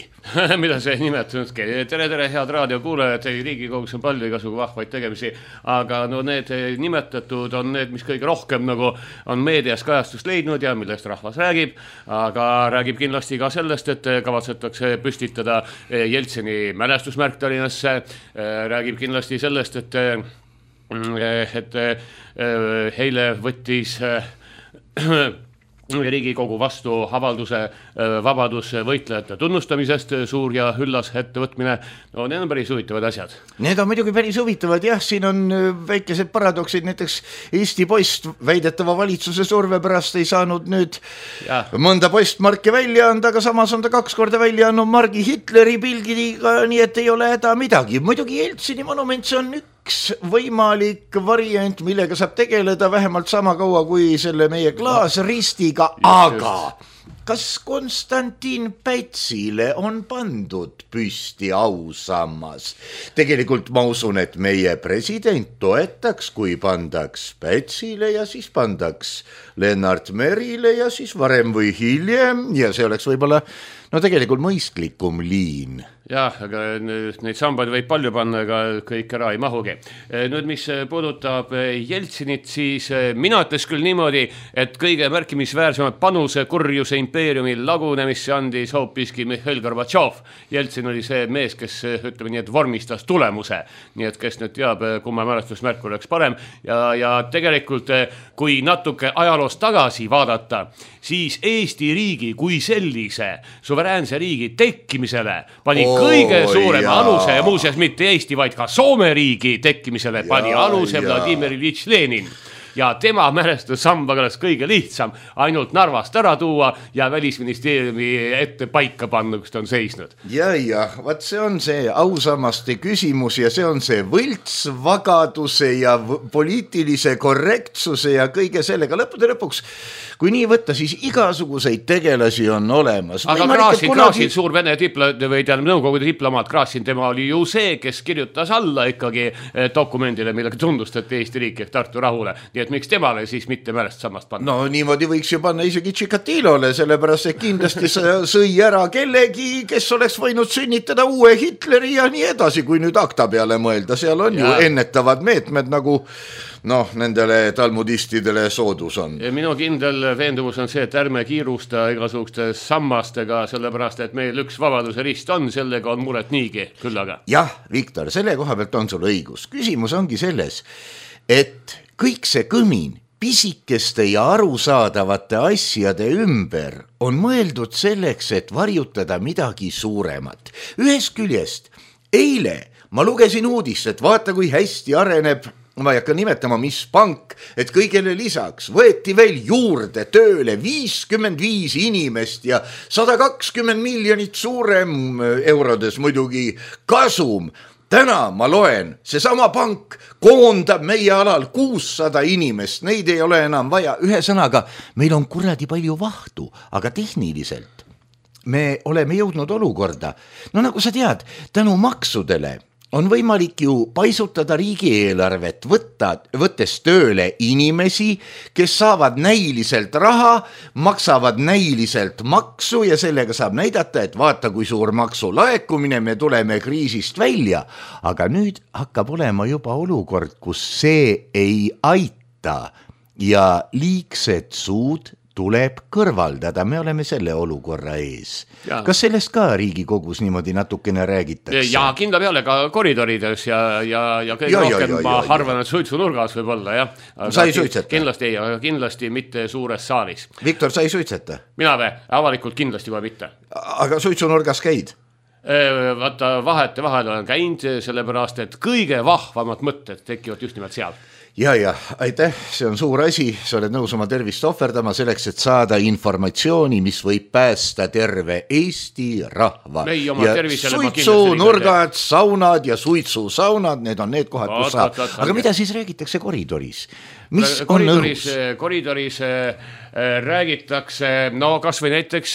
Mida see ei nimetanudki? Tere, tere, head raadiokuulajad, Riigikogus on palju igasugu vahvaid tegemisi, aga no need nimetatud on need, mis kõige rohkem nagu on meedias kajastust leidnud ja millest rahvas räägib, aga räägib kindlasti ka sellest, et kavatsetakse püstitada Jeltsini mälestusmärk Tallinnasse, räägib kindlasti sellest, et et eile võttis Riigikogu vastu avalduse vabadusvõitlejate tunnustamisest, suur ja üllas ettevõtmine. No need on päris huvitavad asjad. Need on muidugi päris huvitavad, jah, siin on väikesed paradoksid, näiteks Eesti Post väidetava valitsuse surve pärast ei saanud nüüd ja. mõnda postmarki välja anda, aga samas on ta kaks korda välja andnud margi Hitleri pildiga, nii et ei ole häda midagi. Muidugi Jeltsini monument, see on üks võimalik variant, millega saab tegeleda vähemalt sama kaua kui selle meie klaasristiga, aga kas Konstantin Pätsile on pandud püsti ausammas? Tegelikult ma usun, et meie president toetaks, kui pandaks Pätsile ja siis pandaks Lennart Merile ja siis varem või hiljem ja see oleks võib-olla no tegelikult mõistlikum liin. Jah, aga neid sambaid võib palju panna, aga kõik ära ei mahugi. Nüüd, mis puudutab Jeltsinit, siis mina ütles küll niimoodi, et kõige märkimisväärsemad panuse kurjuse impeeriumi lagunemisse andis hoopiski Mihhail Gorbatšov. Jeltsin oli see mees, kes ütleme nii, et vormistas tulemuse. Nii et kes nüüd teab, kumma mälestusmärk oleks parem. Ja, ja tegelikult, kui natuke ajaloost tagasi vaadata, siis Eesti riigi kui sellise suveräänse riigi tekkimisele pani oh, kõige suurema jaa. aluse ja muuseas mitte Eesti, vaid ka Soome riigi tekkimisele jaa, pani aluse jaa. Vladimir Iljitš Lenin. Ja tema mälestussambaga oleks kõige lihtsam ainult Narvast ära tuua ja välisministeeriumi ette paika panna, kus ta on seisnud. Ja, ja, vaat see on see ausammaste küsimus ja see on see võltsvagaduse ja poliitilise korrektsuse ja kõige sellega lõppude lõpuks. Kui nii võtta, siis igasuguseid tegelasi on olemas. Aga Kraasin, kunagi... Kraasin, suur Vene diplo... või teadab nõukogude diplomaat Kraasin, tema oli ju see, kes kirjutas alla ikkagi dokumendile, millega tunnustati Eesti riiki ehk Tartu rahule. Nii et miks temale siis mitte mälestussammast panna? No niimoodi võiks ju panna isegi Tšikatilole, sellepärast et kindlasti sõi ära kellegi, kes oleks võinud sünnitada uue Hitleri ja nii edasi, kui nüüd akta peale mõelda. Seal on ja. ju ennetavad meetmed nagu noh, nendele talmudistidele soodus on. Ja minu kindel veendumus on see, et ärme kiirusta igasuguste sammastega, sellepärast, et meil üks vabaduse rist on, sellega on muret niigi küll aga. Jah, Viktor, selle koha pealt on sul õigus. Küsimus ongi selles, et kõik see kõmin pisikeste ja arusaadavate asjade ümber on mõeldud selleks, et varjutada midagi suuremat. Ühest küljest, eile ma lugesin uudist, et vaata, kui hästi areneb ma ei hakka nimetama, mis pank, et kõigele lisaks võeti veel juurde tööle viiskümmend viis inimest ja sada kakskümmend miljonit suurem eurodes muidugi kasum. Täna ma loen, seesama pank koondab meie alal kuussada inimest, neid ei ole enam vaja. Ühesõnaga, meil on kuradi palju vahtu, aga tehniliselt me oleme jõudnud olukorda. No nagu sa tead, tänu maksudele on võimalik ju paisutada riigieelarvet, võtta, võttes tööle inimesi, kes saavad näiliselt raha, maksavad näiliselt maksu ja sellega saab näidata, et vaata, kui suur maksu laekumine, me tuleme kriisist välja. Aga nüüd hakkab olema juba olukord, kus see ei aita ja liigsed suud tuleb kõrvaldada, me oleme selle olukorra ees. Ja. Kas sellest ka Riigikogus niimoodi natukene räägitakse? Ja kindla peale ka koridorides ja, ja, ja kõige ja, rohkem ja, ja, ma ja, arvan, et suitsunurgas võib olla. Ja. Sa ei suitseta? Kindlasti ei, aga kindlasti mitte suures saalis. Viktor, sa ei suitseta? Mina või? Avalikult kindlasti kohe mitte. Aga suitsunurgas käid? Vaata, vahete vahel olen käinud, sellepärast, et kõige vahvamad mõtted tekivad just nimelt seal. Ja, ja, aitäh, see on suur asi, sa oled nõus oma tervist ohverdama selleks, et saada informatsiooni, mis võib päästa terve Eesti rahva. Ja suitsunurgad, saunad ja suitsusaunad, need on need kohad, kus saab. Aga mida siis räägitakse koridoris? Mis on koridoris, koridoris räägitakse, no kas või näiteks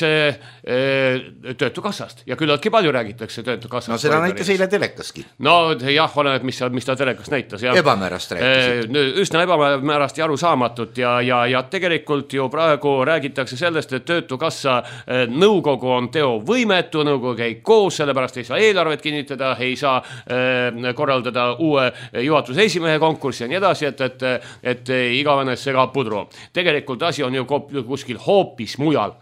töötukassast ja küllaltki palju räägitakse töötukassast. No seda näitas eile telekaski. No jah, oleneb, mis, mis ta telekas näitas. Ja. Ebamäärast rääkisid. Üsna ebamäärast ja arusaamatut ja, ja, ja tegelikult ju praegu räägitakse sellest, et töötukassa nõukogu on teovõimetu, nõukogu ei koos, sellepärast ei saa eelarvet kinnitada, ei saa korraldada uue juhatuse esimehe konkurssi ja nii edasi, et, et, et et igavene segab pudru. Tegelikult asi on ju kuskil hoopis mujal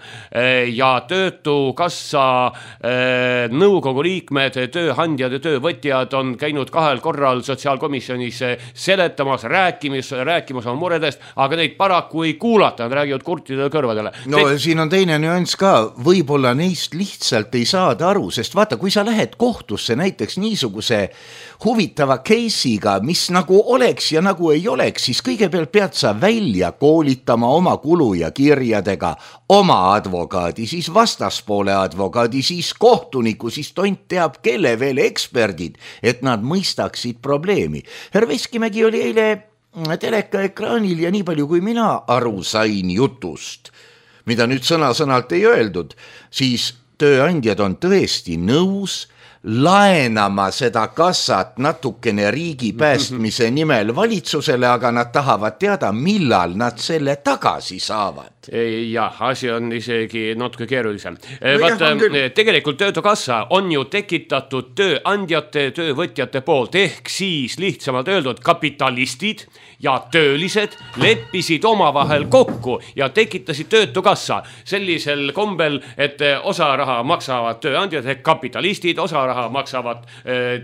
ja töötukassa nõukogu liikmed, tööandjad ja töövõtjad on käinud kahel korral sotsiaalkomisjonis seletamas, rääkimas, rääkimas oma muredest, aga neid paraku ei kuulata, nad räägivad kurtidele kõrvadele. No Te... siin on teine nüanss ka, võib-olla neist lihtsalt ei saada aru, sest vaata, kui sa lähed kohtusse näiteks niisuguse huvitava case'iga, mis nagu oleks ja nagu ei oleks, siis kõige pealt pead sa välja koolitama oma kulu ja kirjadega oma advokaadi, siis vastaspoole advokaadi, siis kohtuniku, siis tont teab kelle veel eksperdid, et nad mõistaksid probleemi. Härra Veskimägi oli eile teleka ekraanil ja nii palju kui mina aru sain jutust, mida nüüd sõna-sõnalt ei öeldud, siis tööandjad on tõesti nõus laenama seda kassat natukene riigi päästmise nimel valitsusele, aga nad tahavad teada, millal nad selle tagasi saavad. Jah, asi on isegi natuke keerulisem. Vaata, tegelikult töötukassa on ju tekitatud tööandjate, töövõtjate poolt, ehk siis lihtsamalt öeldud kapitalistid ja töölised leppisid omavahel kokku ja tekitasid töötukassa sellisel kombel, et osa raha maksavad tööandjad ehk kapitalistid, osa raha maksavad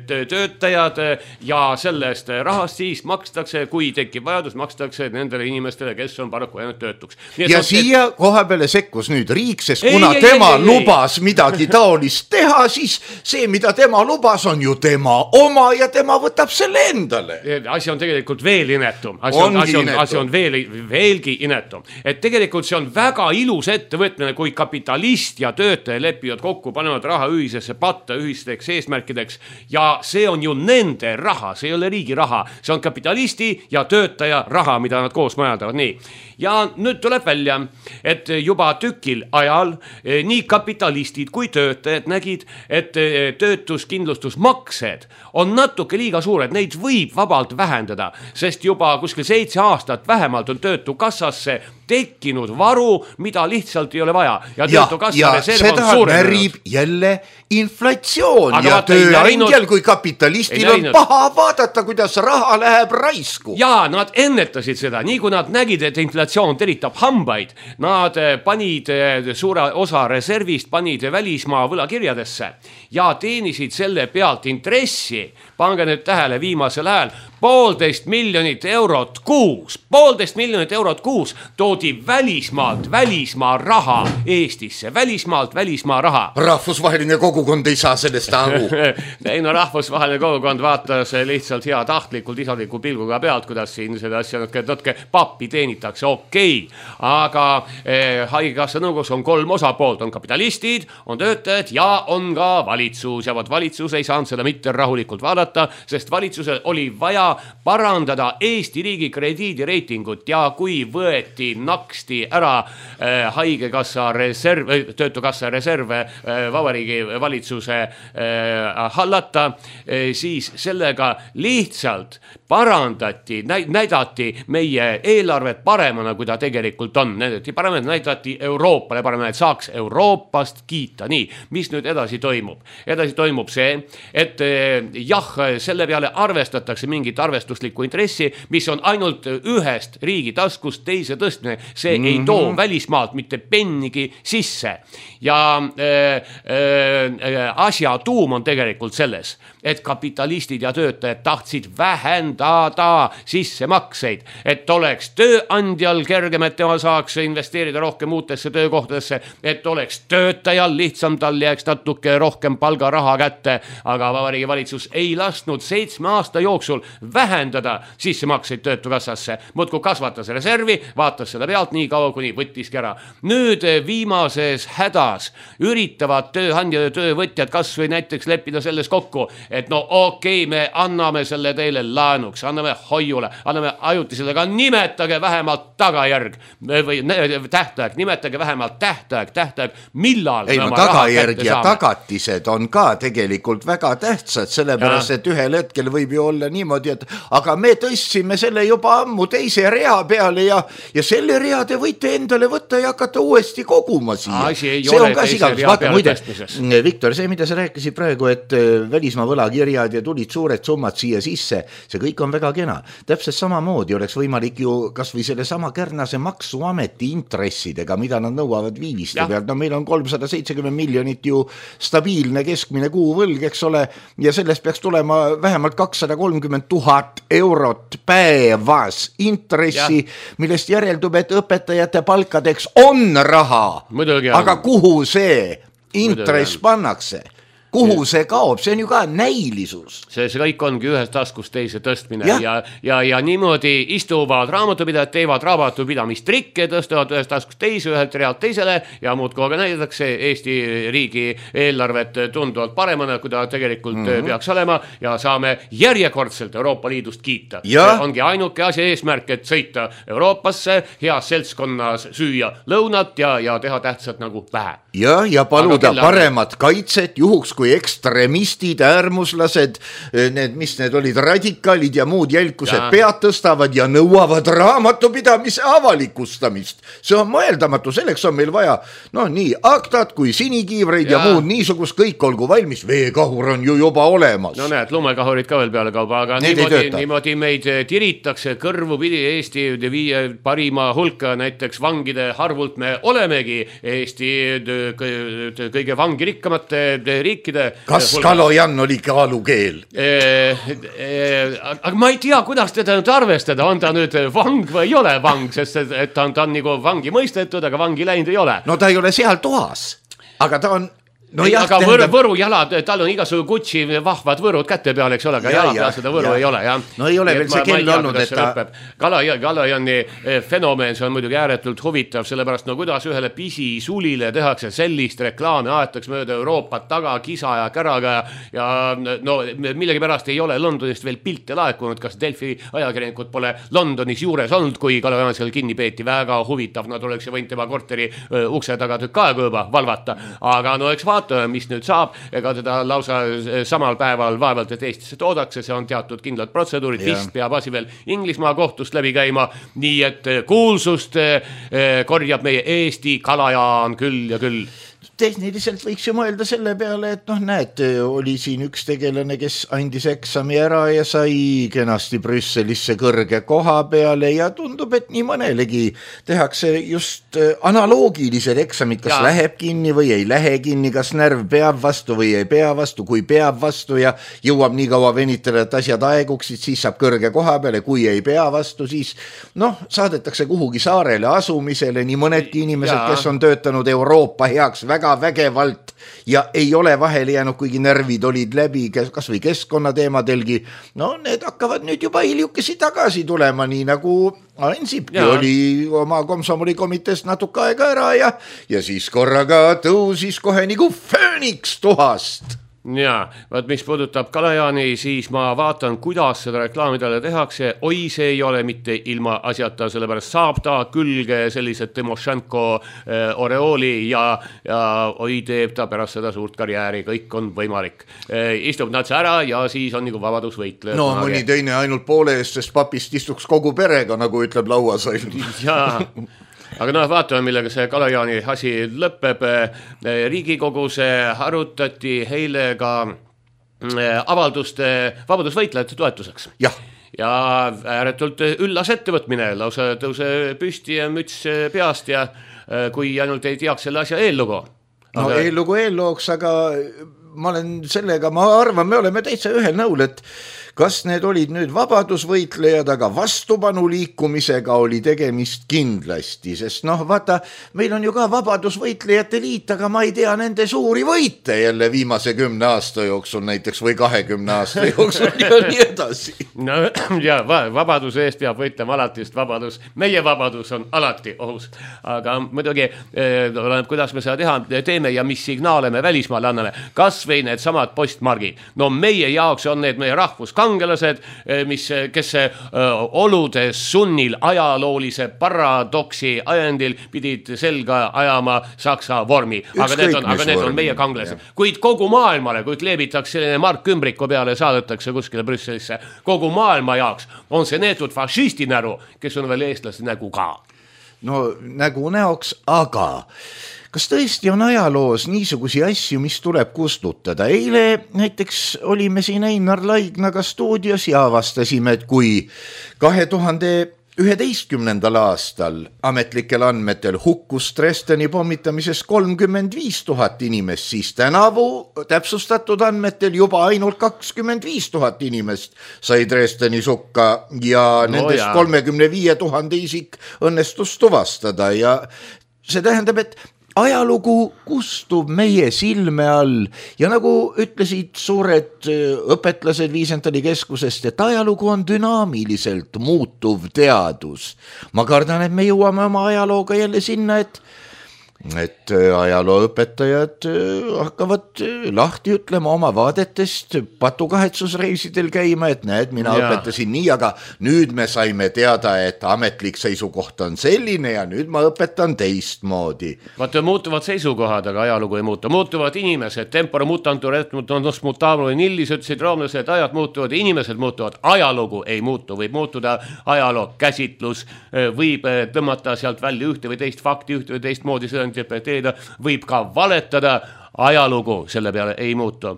töötajad ja sellest rahast siis makstakse, kui tekib vajadus, makstakse nendele inimestele, kes on paraku jäänud töötuks. Ja siia koha peale sekkus nüüd riik, sest kuna ei, tema ei, ei, lubas ei. midagi taolist teha, siis see, mida tema lubas, on ju tema oma ja tema võtab selle endale. Asi on tegelikult veel inetum. Asi on, asi on, asi on veel, veelgi inetum. Et tegelikult see on väga ilus ettevõtmine, kui kapitalist ja töötaja lepivad kokku, panevad raha ühisesse patta, ühisteks eesmärkideks ja see on ju nende raha, see ei ole riigi raha, see on kapitalisti ja töötaja raha, mida nad koos majandavad. Nii. Ja nüüd tuleb välja, et juba tükil ajal nii kapitalistid kui töötajad nägid, et töötuskindlustusmaksed on natuke liiga suured, neid võib vabalt vähendada, sest juba kuskil seitse aastat vähemalt on töötukassasse tekkinud varu, mida lihtsalt ei ole vaja. Ja, ja, ja seda närib jälle inflatsioon aga ja tööandjal kui kapitalistil on paha vaadata, kuidas raha läheb raisku. Ja nad ennetasid seda, nii kui nad nägid, et inflatsioon teritab hambaid, nad panid suure osa reservist, panid välismaa võlakirjadesse ja teenisid selle pealt intressi. Pange nüüd tähele viimasel ajal, poolteist miljonit eurot kuus, poolteist miljonit eurot kuus toodi välismaalt, välismaa raha Eestisse, välismaalt, välismaa raha. Rahvusvaheline kogukond ei saa sellest aru. ei no rahvusvaheline kogukond vaatas lihtsalt hea tahtlikult isaliku pilguga pealt, kuidas siin seda asja natuke, natuke pappi teenitakse, okei. Okay. Aga eh, haigekassa nõukogus on kolm osapoolt, on kapitalistid, on töötajad ja on ka valitsus ja võt valitsus ei saanud seda mitte rahulikult vaadata, sest valitsusel oli vaja parandada Eesti riigi krediidireitingut ja kui võeti, naksti ära äh, haigekassa reserv, töötukassa reserve äh, vabariigi valitsuse äh, hallata, äh, siis sellega lihtsalt parandati, näidati meie eelarvet paremana, kui ta tegelikult on. Näidati paremana, näidati Euroopale paremana, et saaks Euroopast kiita. Nii, mis nüüd edasi toimub? Edasi toimub see, et äh, jah, selle peale arvestatakse mingit arvestuslikku intressi, mis on ainult ühest riigi taskust teise tõstmine. See mm-hmm. ei too välismaalt mitte pennigi sisse. Ja äh, äh, asja tuum on tegelikult selles, et kapitalistid ja töötajad tahtsid vähendada sissemakseid, et oleks tööandjal kergem, et tema saaks investeerida rohkem uutesse töökohtadesse, et oleks töötajal lihtsam, tal jääks natuke rohkem palgaraha kätte, aga vabariigi valitsus ei lasknud seitsme aasta jooksul vähendada sissemakseid töötukassasse, muudkui kasvatas reservi, vaatas selle pealt nii kaua, kuni võttiski ära. Nüüd viimases hädas üritavad tööandjad ja töövõtjad kas või näiteks leppida selles kokku, et no okei, okay, me anname selle teile laenuks, anname hoiule, anname ajutisele, aga nimetage vähemalt tagajärg või tähtaeg, nimetage vähemalt tähtaeg, tähtaeg, millal ei, no, tagajärg ja saame. Tagatised on ka tegelikult väga tähtsad, sellepärast, ja. Et ühel hetkel võib ju olla niimoodi, et aga me tõstsime selle juba ammu teise rea peale ja, ja selle rea te võite endale võtta ja hakata uuesti koguma siia. See on ka sigadus. Vaata, muide, Viktor, see, mida sa rääkisid praegu, et välismaa võlakirjad ja tulid suured summad siia sisse, see kõik on väga kena. Täpselt samamoodi oleks võimalik ju kas või selle sama Kärnase maksuameti intressidega, mida nad nõuavad viiviste ja. Pealt. No meil on kolmsada seitsekümmend miljonit ju stabiilne keskmine kuuvõlg, eks ole, ja sellest peaks tulema vähemalt kakssada kolmkümmend tuhat eurot päevas intressi, ja. Millest järeldub, et õpetajate palkadeks on raha. Muidugi aga kuhu see intress pannakse? Kuhu see kaob? See on ju ka näilisus. See, see kõik ongi ühest taskust teise tõstmine ja, ja, ja, ja niimoodi istuvad raamatupidajad, teevad raamatupidamistrikke, tõstavad ühest taskust teise, ühelt realt teisele ja muud kohaga näidatakse Eesti riigi eelarvet tunduvalt paremana, kui ta tegelikult mm-hmm. peaks olema ja saame järjekordselt Euroopa Liidust kiita. Ja. See ongi ainuke asja eesmärk, et sõita Euroopasse, heas seltskonnas süüa lõunat ja, ja teha tähtsat nagu vähe. Ja, ja paluda paremat kaitset juhuks, kui ekstremistid, äärmuslased, need, mis need olid, radikaalid ja muud jälkused ja. Pead tõstavad ja nõuavad raamatupidamise avalikustamist. See on mõeldamatu, selleks on meil vaja, no nii, aktad kui sinikiivreid ja, ja muud niisugust kõik olgu valmis, veekahur on ju juba olemas. No näed, lumekahurid ka veel peale kauba, aga niimoodi, niimoodi meid tiritakse kõrvu pidi Eesti viie parima hulka, näiteks vangide harvult me olemegi Eesti kõige vangirikkamate riikide. Kas Kalojan oli kaalukeel? E, e, aga ma ei tea, kuidas teda nüüd arvestada, on ta nüüd vang või ei ole vang, sest et ta on, ta on nagu vangi mõistetud, aga vangi läinud ei ole. No ta ei ole seal toas, aga ta on no ei, jah, aga võr, võru jalad, tal on igasugu Gucci vahvad võrud käte peal, eks ole, aga ja, jala peal seda võru ja. Ei ole. Ja. No ei ole veel see kell olnud, et ta... Kalajani fenomeen, see on muidugi ääretult huvitav, sellepärast no kuidas ühele pisi sulile tehakse sellist reklaami, aetaks mööda Euroopat taga, kisa ja käraga ja no millegi pärast ei ole Londonist veel pilte laekunud, kas Delfi ajakirjanikud pole Londonis juures olnud, kui Kalajan seal kinni peeti, väga huvitav, nad oleks ju võinud tema korteri ukse taga tükk aega juba valvata, aga no eks vaata, mis nüüd saab, ega teda lausa samal päeval vaevalt, et Eestisse toodakse, see on teatud kindlad protseduurid, vist peab asi veel Inglismaa kohtust läbi käima, nii et kuulsust korjab meie Eesti Kalajaan küll ja küll. tehniliselt võiks ju mõelda selle peale, et noh, näed, oli siin üks tegelane, kes andis eksami ära ja sai kenasti Brüsselisse kõrge koha peale ja tundub, et nii mõnelegi tehakse just analoogilised eksamid, kas ja. läheb kinni või ei lähe kinni, kas närv peab vastu või ei pea vastu, kui peab vastu ja jõuab nii kaua venitada, et asjad aeguksid, siis saab kõrge koha peale, kui ei pea vastu, siis noh, saadetakse kuhugi saarele asumisele, nii mõnedki inimesed, ja. kes on töötanud Euroopa heaks väga vägevalt ja ei ole vahele jäänud, kuigi närvid olid läbi kas või keskkonnateemadelgi, no need hakkavad nüüd juba hiljukesi tagasi tulema, nii nagu Ansipki ja. oli oma komsomolikomiteest natuke aega ära ja, ja siis korraga tõusis kohe nagu fööniks tuhast. Jaa, vaat mis puudutab Kalajaani, siis ma vaatan, kuidas seda reklaamidele tehakse. Oi, see ei ole mitte ilma asjata, sellepärast saab ta külge sellised Timošenko äh, oreooli ja, ja oi, teeb ta pärast seda suurt karjääri, kõik on võimalik. Äh, istub natsa ära ja siis on nagu vabadusvõitleja. No mõni teine ainult poole eest, sest papist istuks kogu perega, nagu ütleb lauasail. Jaa. Aga noh, vaatame, millega see Kalajaani asi lõpeb. Riigikogus arutati eile ka avalduste vabadusvõitlejate toetuseks. Jah. Ja ääretult üllas ettevõtmine, lausa tõuse püsti ja müts peast ja kui ainult ei teaks selle asja eellugu. Aga... No eellugu eellooks, aga ma olen sellega, ma arvan, me oleme täitsa ühel nõul, et kas need olid nüüd vabadusvõitlejad, aga vastupanu liikumisega oli tegemist kindlasti, sest noh, vaata, meil on ju ka vabadusvõitlejate liit, aga ma ei tea nende suuri võite jälle viimase kümne aasta jooksul näiteks või kahekümne aasta jooksul ja nii edasi. No ja vabaduse eest peab võitlema alati, sest vabadus, meie vabadus on alati ohus. Aga muidugi, oleneb, kuidas me seda teha, teeme ja mis signaale me välismaale anname. Kas või need samad postmargid. No meie jaoks on need meie rahvuskangelased, mis, kes olude sunnil ajaloolise paradoksi ajendil pidid selga ajama saksa vormi. Aga need on, aga need on meie kangelased. Kuid kogu maailmale, kui kleebitakse selline Mark Ümbriku peale ja saadetakse kuskile Brüsselisse, kogu maailma jaoks on see neetud fašisti näru, kes on veel eestlaste nägu ka. No nägu näoks, aga... Kas tõesti on ajaloos niisugusi asju, mis tuleb kustutada? Eile näiteks olime siin Einar Laignaga stuudios ja avastasime, et kui kahe tuhande üheteistkümnendal aastal ametlikel andmetel hukkus Dresdeni pommitamises kolmkümmend viis tuhat inimest, siis tänavu täpsustatud andmetel juba ainult kakskümmend viis tuhat inimest sai Dresdeni sukka ja no nendest ja. kolmekümne viie tuhande isik õnnestus tuvastada ja see tähendab, et ajalugu kustub meie silme all ja nagu ütlesid suured õpetlased Viisentali keskusest, et ajalugu on dünaamiliselt muutuv teadus. Ma kardan, et me jõuame oma ajalooga jälle sinna, et et ajalooõpetajad hakkavad lahti ütlema oma vaadetest patukahetsusreisidel käima, et näed, mina ja. õpetasin nii, aga nüüd me saime teada, et ametlik seisukoht on selline ja nüüd ma õpetan teistmoodi. Vaata, muutuvad seisukohad, aga ajalugu ei muutu. Muutuvad inimesed, tempora mutantur et mutanus mutablo nillis, ütlesid roomlased, ajad muutuvad, inimesed muutuvad, ajalugu ei muutu, võib muutuda ajaloo käsitlus, võib tõmmata sealt välja ühte või teist fakti, ühte või teist moodi seda interpreteerida, võib ka valetada, ajalugu selle peale ei muutu.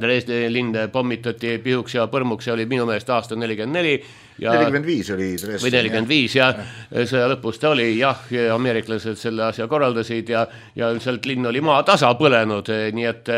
Dresdeni linn pommitati pihuks ja põrmuks ja oli minu meelest aasta nelikümmend neli. Ja, nelikümmend viis oli Dresden. Või nelikümmend viis ja, ja sõja lõpus ta oli, jah, ameeriklased selle asja korraldasid ja, ja sealt linn oli maa tasa põlenud, nii et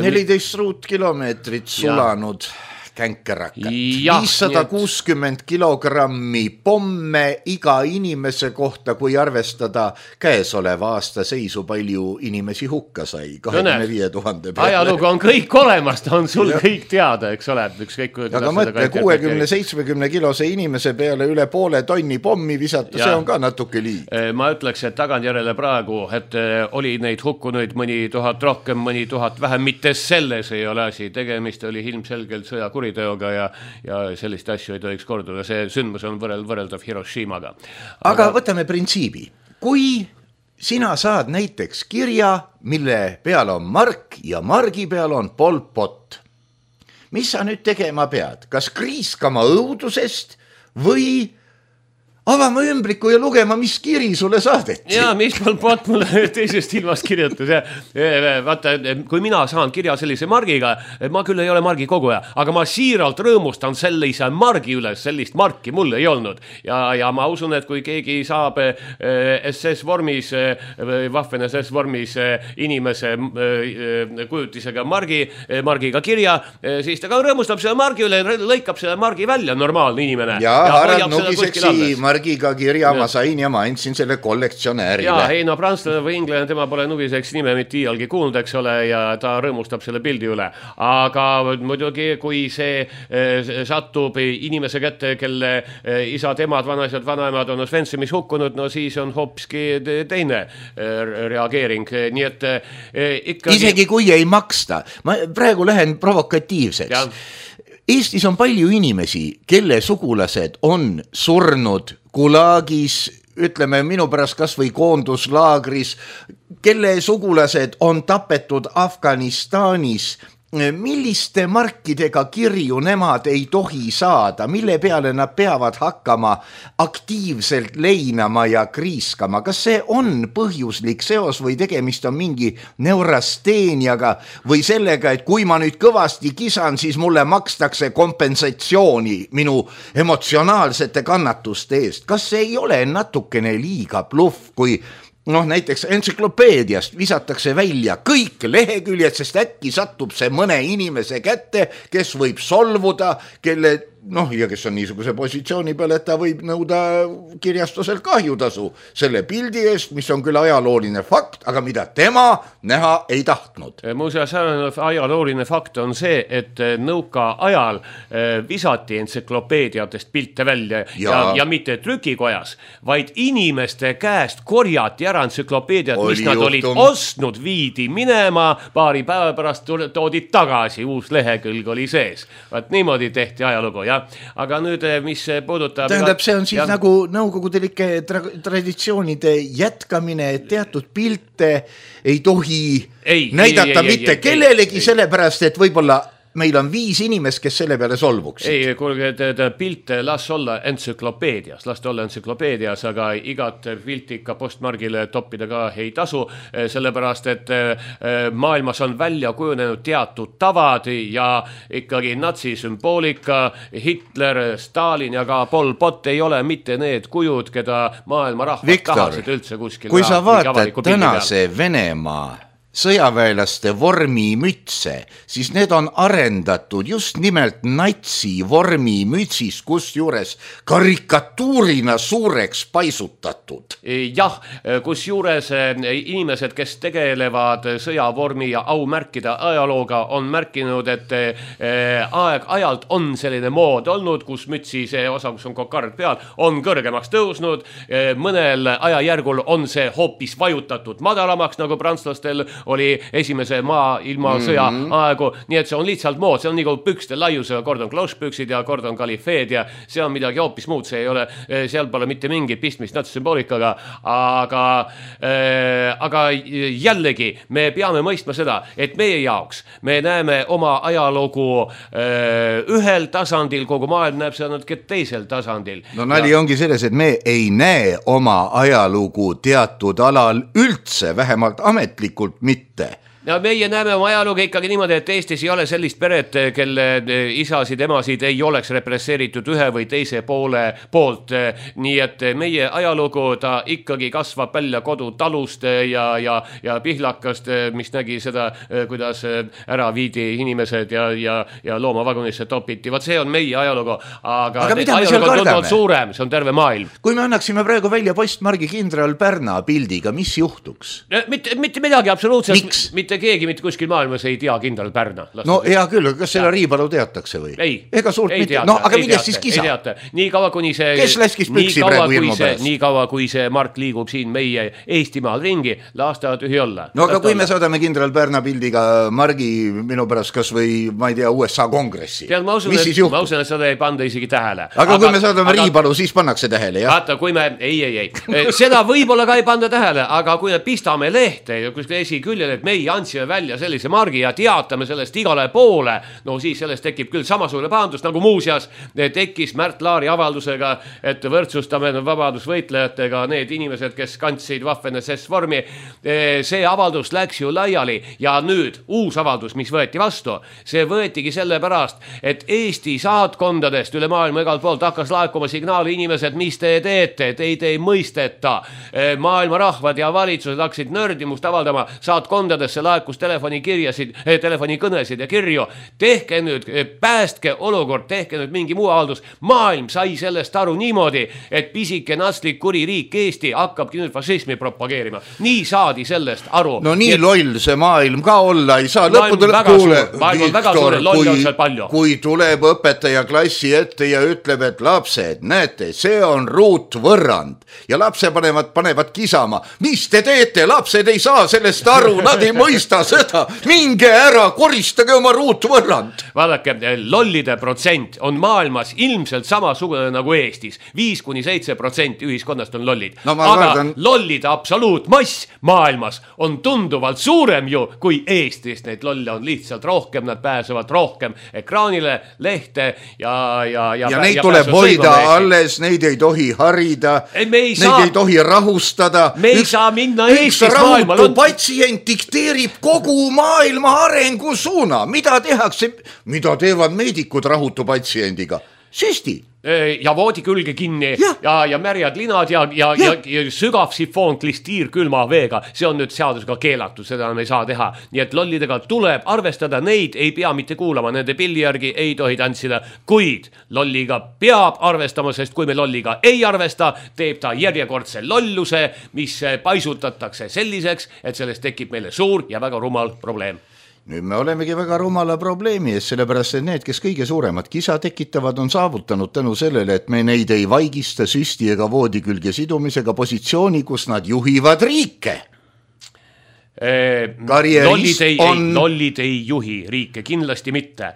neliteist ruutkilomeetrit sulanud. Ja. Känkerakat. viissada kuuskümmend kilogrammi pomme iga inimese kohta, kui arvestada käesoleva aasta seisu, palju inimesi hukka sai. kahekümne viie tuhande peale. Ajalugu on kõik olemas, ta on sul ja. kõik teada, eks ole. Ükskõik, aga mõtle, kuuekümne seitsmekümne kilose inimese peale üle poole tonni pommi visata, ja. see on ka natuke liig. Ma ütleks, et tagantjärele praegu, et oli neid hukkunuid mõni tuhat rohkem, mõni tuhat vähem, mitte selles ei ole asi. Tegemist oli ilmselgelt sõjakuri teoga ja, ja sellist asju ei tohiks korduda. See sündmus on võrreld, võrreldav Hiroshimaga. Aga... aga võtame printsiibi. Kui sina saad näiteks kirja, mille peal on mark ja margi peal on Pol Pot, mis sa nüüd tegema pead? Kas kriiskama õudusest või avama ümbriku ja lugema, mis kiri sulle saadeti. Ja, mis mul pot mulle teisest ilmast kirjutas. Ja, vaata, kui mina saan kirja sellise margiga, ma küll ei ole margi koguja, aga ma siiralt rõõmustan sellise margi üles, sellist marki mul ei olnud. Ja, ja ma usun, et kui keegi saab S S vormis, vahven S S vormis inimese kujutisega margi, margiga kirja, siis ta ka rõõmustab selle margi üle, lõikab selle margi välja, normaalne inimene. Ja, ja Harald Nugiseksi margiga kirja ma sain ja ma andsin selle kollektsionäärile. Ja, ei no prantslane või inglane, tema pole Nugiseks nime mitte iialgi kuulnud, eks ole, ja ta rõõmustab selle pildi üle. Aga muidugi, kui see satub inimese kätte, kelle isad, emad, vanaisad, vanaemad on Osventsimis hukkunud, no siis on hoopiski teine reageering. Nii et ikkagi... Isegi kui ei maksta. Ma praegu lähen provokatiivseks. Ja. Eestis on palju inimesi, kelle sugulased on surnud Gulagis, ütleme minu pärast kas või koonduslaagris, kelle sugulased on tapetud Afganistanis. Milliste markidega kirju nemad ei tohi saada, mille peale nad peavad hakkama aktiivselt leinama ja kriiskama? Kas see on põhjuslik seos või tegemist on mingi neurasteeniaga või sellega, et kui ma nüüd kõvasti kisan, siis mulle makstakse kompensatsiooni minu emotsionaalsete kannatuste eest? Kas see ei ole natukene liiga bluff, kui noh, näiteks entsüklopeediast visatakse välja kõik leheküljed, sest äkki satub see mõne inimese kätte, kes võib solvuda, kelle, noh, ja kes on niisuguse positsiooni peal, et ta võib nõuda kirjastusel kahjutasu selle pildi eest, mis on küll ajalooline fakt, aga mida tema näha ei tahtnud. Muuseas, ajalooline fakt on see, et nõuka ajal visati entsüklopeediatest pilte välja ja, ja, ja mitte trükikojas, vaid inimeste käest korjati ära entsüklopeediat, mis nad olid ostnud, viidi minema, paari päeva pärast toodi tagasi, uus lehekülg oli sees. Vaat niimoodi tehti ajalugu, jah. Aga nüüd, mis puudutab... Tähendab, see on siis ja... nagu nõukogudelikke tra- traditsioonide jätkamine, et teatud pilte ei tohi ei, näidata ei, ei, mitte ei, kellelegi, ei, sellepärast, et võib-olla meil on viis inimest, kes selle peale solvuksid. Ei, kuulge, pilte las olla entsüklopeedias, las olla entsüklopeedias, aga igat pilti ikka postmargile toppida ka ei tasu, sellepärast, et maailmas on välja kujunenud teatud tavad ja ikkagi natsisümboolika, Hitler, Stalin ja ka Pol Pot ei ole mitte need kujud, keda maailma rahvad Viktor, tahasid üldse kuskil. Kui sa vaatad tänase Venemaa sõjaväelaste vormimütse, siis need on arendatud just nimelt natsi vormimütsist, kus juures karikatuurina suureks paisutatud. Jah, kus juures inimesed, kes tegelevad sõjavormi ja aumärkide ajalooga, on märkinud, et aeg ajalt on selline mood olnud, kus mütsi see osa, kus on kokard peal, on kõrgemaks tõusnud. Mõnel ajajärgul on see hoopis vajutatud madalamaks, nagu prantslastel oli esimese maa ilma sõja mm-hmm. aegu, nii et see on lihtsalt mood, see on nagu pükste laiusega, kord on klauspüksid ja kord on kalifeed ja see on midagi hoopis muud, see ei ole, seal pole mitte mingit pistmist natsisümboolikaga, aga, äh, aga jällegi me peame mõistma seda, et meie jaoks me näeme oma ajalugu äh, ühel tasandil, kogu maailm näeb seda natuke teisel tasandil. No nali ja... ongi selles, et me ei näe oma ajalugu teatud alal üldse, vähemalt ametlikult mitte. No meie näeme oma ajalugu ikkagi niimoodi, et Eestis ei ole sellist peret, kelle isasid, emasid ei oleks represseeritud ühe või teise poole poolt. Nii et meie ajalugu ta ikkagi kasvab välja kodutalust ja, ja, ja pihlakast, mis nägi seda, kuidas ära viidi inimesed ja, ja, ja loomavagunisse topiti. Vaat see on meie ajalugu, aga, aga ajalugu on tundnud suurem, see on terve maailm. Kui me annaksime praegu välja postmargi kindral Pärna pildiga, mis juhtuks? Mitte, mitte midagi absoluutselt. Miks? Mitte keegi mitte kuskil maailmas ei tea kindral Pärna. No hea küll, kas selle Riipalu teatakse või? Ei, ega suurt ei mitte. Teata, no aga millest teata, siis kisa? Ei teata. Nii kaua, kuni see... Kes läskis püksi praegu ilmu pärast? Nii kaua, kui see Mark liigub siin meie Eestimaal ringi, laastavad ühi olla. No aga kui me saadame kindral Pärna pildiga Margi minu pärast kas või, ma ei tea, U S A kongressi. Tead, ma usun, mis et, siis juhtub? Ma usun, et seda ei panda isegi tähele. Aga, aga kui me saadame aga, Riipalu, siis pannakse tähele, jah? Vaata, kui me... Ei, ei, ei. Seda võib-olla ka ei panda tähele, aga kui me pistame lehte ja kuskil esiküljel, et meie andsime välja sellise margi ja teatame sellest igale poole, no siis sellest tekib küll samasugune pahandus, nagu muuseas tekkis Märt Laari avaldusega, et võrdsustame vabadusvõitlejatega need inimesed, kes kandsid Waffen S S vormi. See avaldus läks ju laiali ja nüüd uus avaldus, mis võeti vastu, see võetigi sellepärast, et Eesti saatkondadest üle maailma igalt poolt hakkas laekuma signaali inimesed, mis te teete, teid ei mõisteta. Maailma rahvad ja valitsused hakkasid nördimust avaldama, saatkondadesse laekus telefonikirjasid, telefonikõnesid ja kirju. Tehke nüüd, päästke olukord, tehke nüüd mingi muu avaldus. Maailm sai sellest aru niimoodi, et pisike natslik kuri riik Eesti hakkabki nüüd fašismi propageerima. Nii saadi sellest aru. No nii et... loll see maailm ka olla ei saa. Maailm on väga suur, maailm on väga suur, loll on seal palju. Kui tuleb õpetaja klassi ette ja ütleb, et lapsed, näete, see on ruutvõrrand ja lapse panevad, panevad kisama. Mis te teete? Lapsed ei saa sellest aru, nad ei mõista seda. Minge ära, koristage oma ruutvõrrand. Vaadake, lollide protsent on maailmas ilmselt samasugune nagu Eestis. viis kuni seitse protsenti ühiskonnast on lollid. No, aga kardan... lollide absoluutmass maailmas on tunduvalt suurem ju kui Eestis. Neid lolle on lihtsalt rohkem, nad pääsevad rohkem ekraanile, lehte ja... Ja, ja, ja neid ja tuleb hoida alles, neid ei tohi harida, ei, ei neid saa... ei tohi rahustada. Me ei üks, saa minna Eestis maailmal. On... patsient dikteerib kogu maailma arengu suuna. Mida tehakse, mida teevad meedikud rahutu patsiendiga? Süsti. Ja voodi külge kinni ja, ja, ja märjad linad ja, ja, ja. ja, ja sügav sifoon klistiir külma veega. See on nüüd seadusega keelatud, seda me ei saa teha. Nii et lollidega tuleb arvestada, neid ei pea mitte kuulama, nende pilli järgi ei tohi tantsida, kuid lolliga peab arvestama, sest kui me lolliga ei arvesta, teeb ta järjekordse lolluse, mis paisutatakse selliseks, et sellest tekib meile suur ja väga rumal probleem. Nüüd me olemegi väga rumala probleemi ees, sellepärast et need, kes kõige suuremad kisa tekitavad, on saavutanud tänu sellele, et me neid ei vaigista süsti ega voodi külge sidumisega positsiooni, kus nad juhivad riike. Lollid ei, on... ei, lollid ei juhi riike, kindlasti mitte.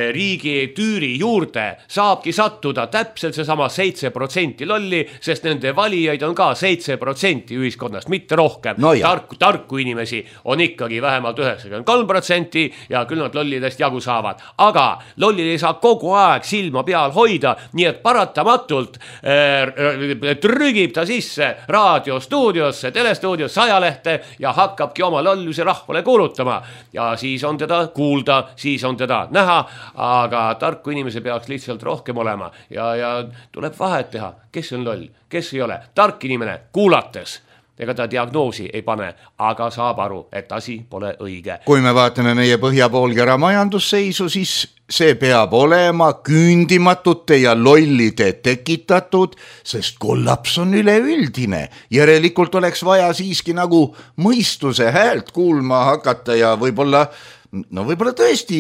Riigi tüüri juurde saabki sattuda täpselt seesama seitse protsenti lolli, sest nende valijaid on ka seitse protsenti ühiskonnast, mitte rohkem. No tarku, tarku inimesi on ikkagi vähemalt üheksakümmend kolm protsenti ja küll nad lollidest jagu saavad. Aga lollid ei saa kogu aeg silma peal hoida, nii et paratamatult äh, trügib ta sisse raadiostuudiosse, telestuudiosse, ajalehte ja hakkabki oma lolluse rahvale kuulutama ja siis on teda kuulda, siis on teda näha, aga tarku inimese peaks lihtsalt rohkem olema ja, ja tuleb vahet teha, kes on loll, kes ei ole. Tark inimene kuulates, ega ta diagnoosi ei pane, aga saab aru, et asi pole õige. Kui me vaatame meie põhjapoolkera majandusseisu, siis see peab olema küündimatute ja lollide tekitatud, sest kollaps on üleüldine. Järelikult oleks vaja siiski nagu mõistuse häält kuulma hakata ja võib-olla, no võib-olla tõesti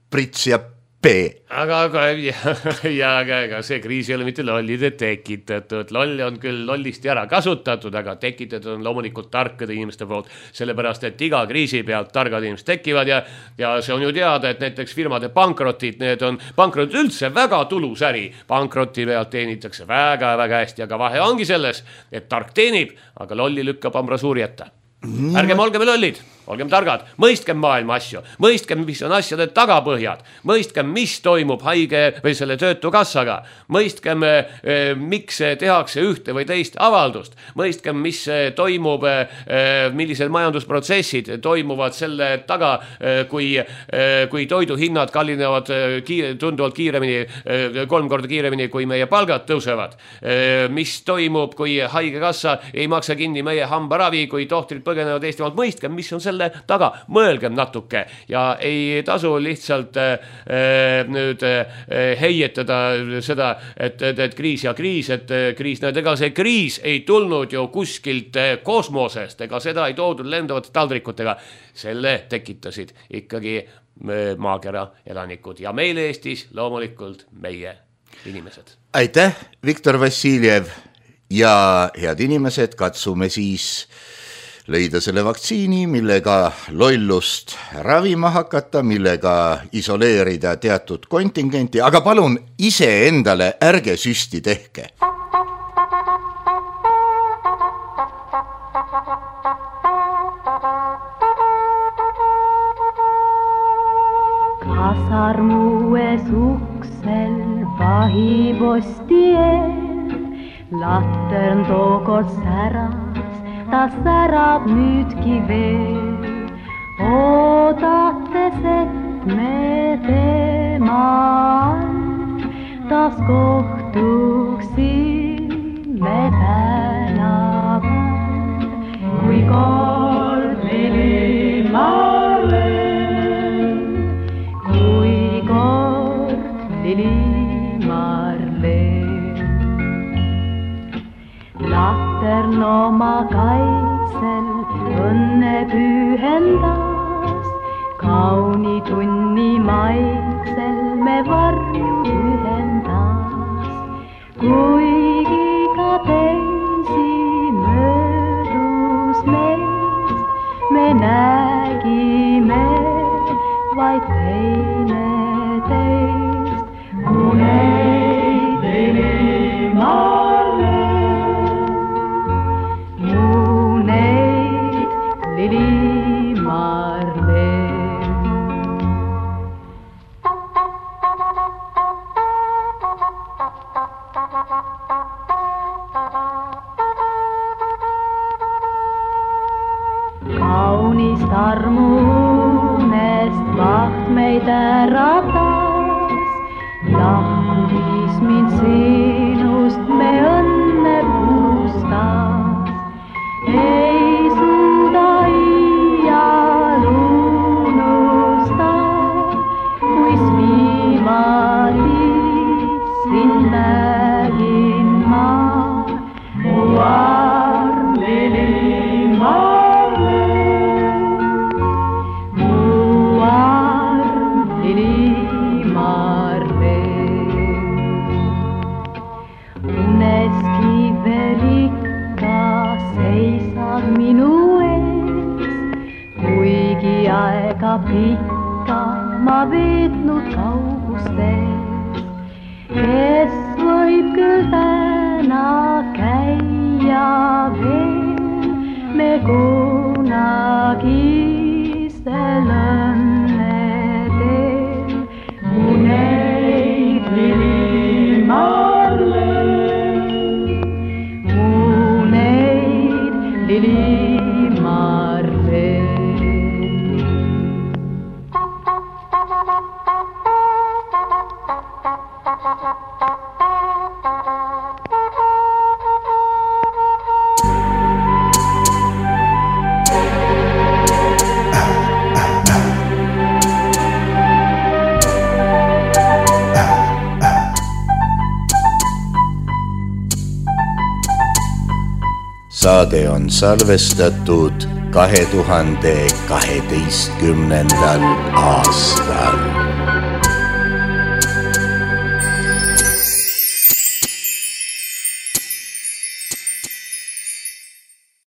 Prits ja P. Aga, aga ja, ja, aga see kriis ei ole mitte lollide tekitatud. Lolle on küll lollisti ära kasutatud, aga tekitatud on loomulikult tarkade inimeste poolt, sellepärast, et iga kriisi pealt targad inimesed tekivad ja, ja see on ju teada, et näiteks firmade pankrotid, need on pankrotid üldse väga tulus äri. Pankroti pealt teenitakse väga, väga hästi, aga vahe ongi selles, et tark teenib, aga lolli lükkab ambrasuuri ette. Ärgem olgem lollid, olgem targad, mõistkem maailma asju, mõistkem, mis on asjade tagapõhjad, mõistkem, mis toimub haige või selle töötukassaga, mõistkem, eh, miks tehakse ühte või teist avaldust, mõistkem, mis toimub, eh, millised majandusprotsessid toimuvad selle taga, eh, kui, eh, kui toiduhinnad kallinevad kiire, tunduvalt kiiremini, eh, kolm korda kiiremini, kui meie palgad tõusevad, eh, mis toimub, kui haigekassa ei maksa kinni meie hambaravi, kui tohtrid põgenevad Eestimaalt, mõistkem, mis on selle taga, mõelgem natuke ja ei tasu lihtsalt äh, nüüd äh, heietada seda, et, et, et kriis ja kriis, et kriis, näed, ega see kriis ei tulnud ju kuskilt kosmosest, ega seda ei toodud lendavate taldrikutega, selle tekitasid ikkagi maakera elanikud ja meil Eestis loomulikult meie inimesed. Aitäh, Viktor Vassiljev ja head inimesed, katsume siis leida selle vaktsiini, millega lollust ravima hakata, millega isoleerida teatud kontingenti, aga palun ise endale ärge süsti tehke. jahiposti eel, latern tookord säras, ta särab nüüdki veel. Oodates, et me temal taas kohtuksime tänaval, kui kord Lilimar leen, kui kord Lilimar leen. Latern oma kaitsel õnne pühendas, kauni tunni maitsel me varju ühendas, kuigi ka teisi möödus meist, me nägime vaid teineteist. Uneid Lilimar leen, uneid Lilimar leen. Kaunist armunest vaht meid äratas, lahkumis mind sinust me õnne pustas. Ei suuda iial unustada, kuis viimati sind nägin ma. Mu arm Lilimar leen, mu arm Lilimar leen. Uneski veel ikka seisad minu ees, kuigi aega pikka ma veetnud kaugustes. Kes võib küll täna käia veel me kunagistel õnnedel. Uneid Lilimar leen, uneid Lilimar leen. Saade on salvestatud kahe tuhande kaheteistkümnendal aastal.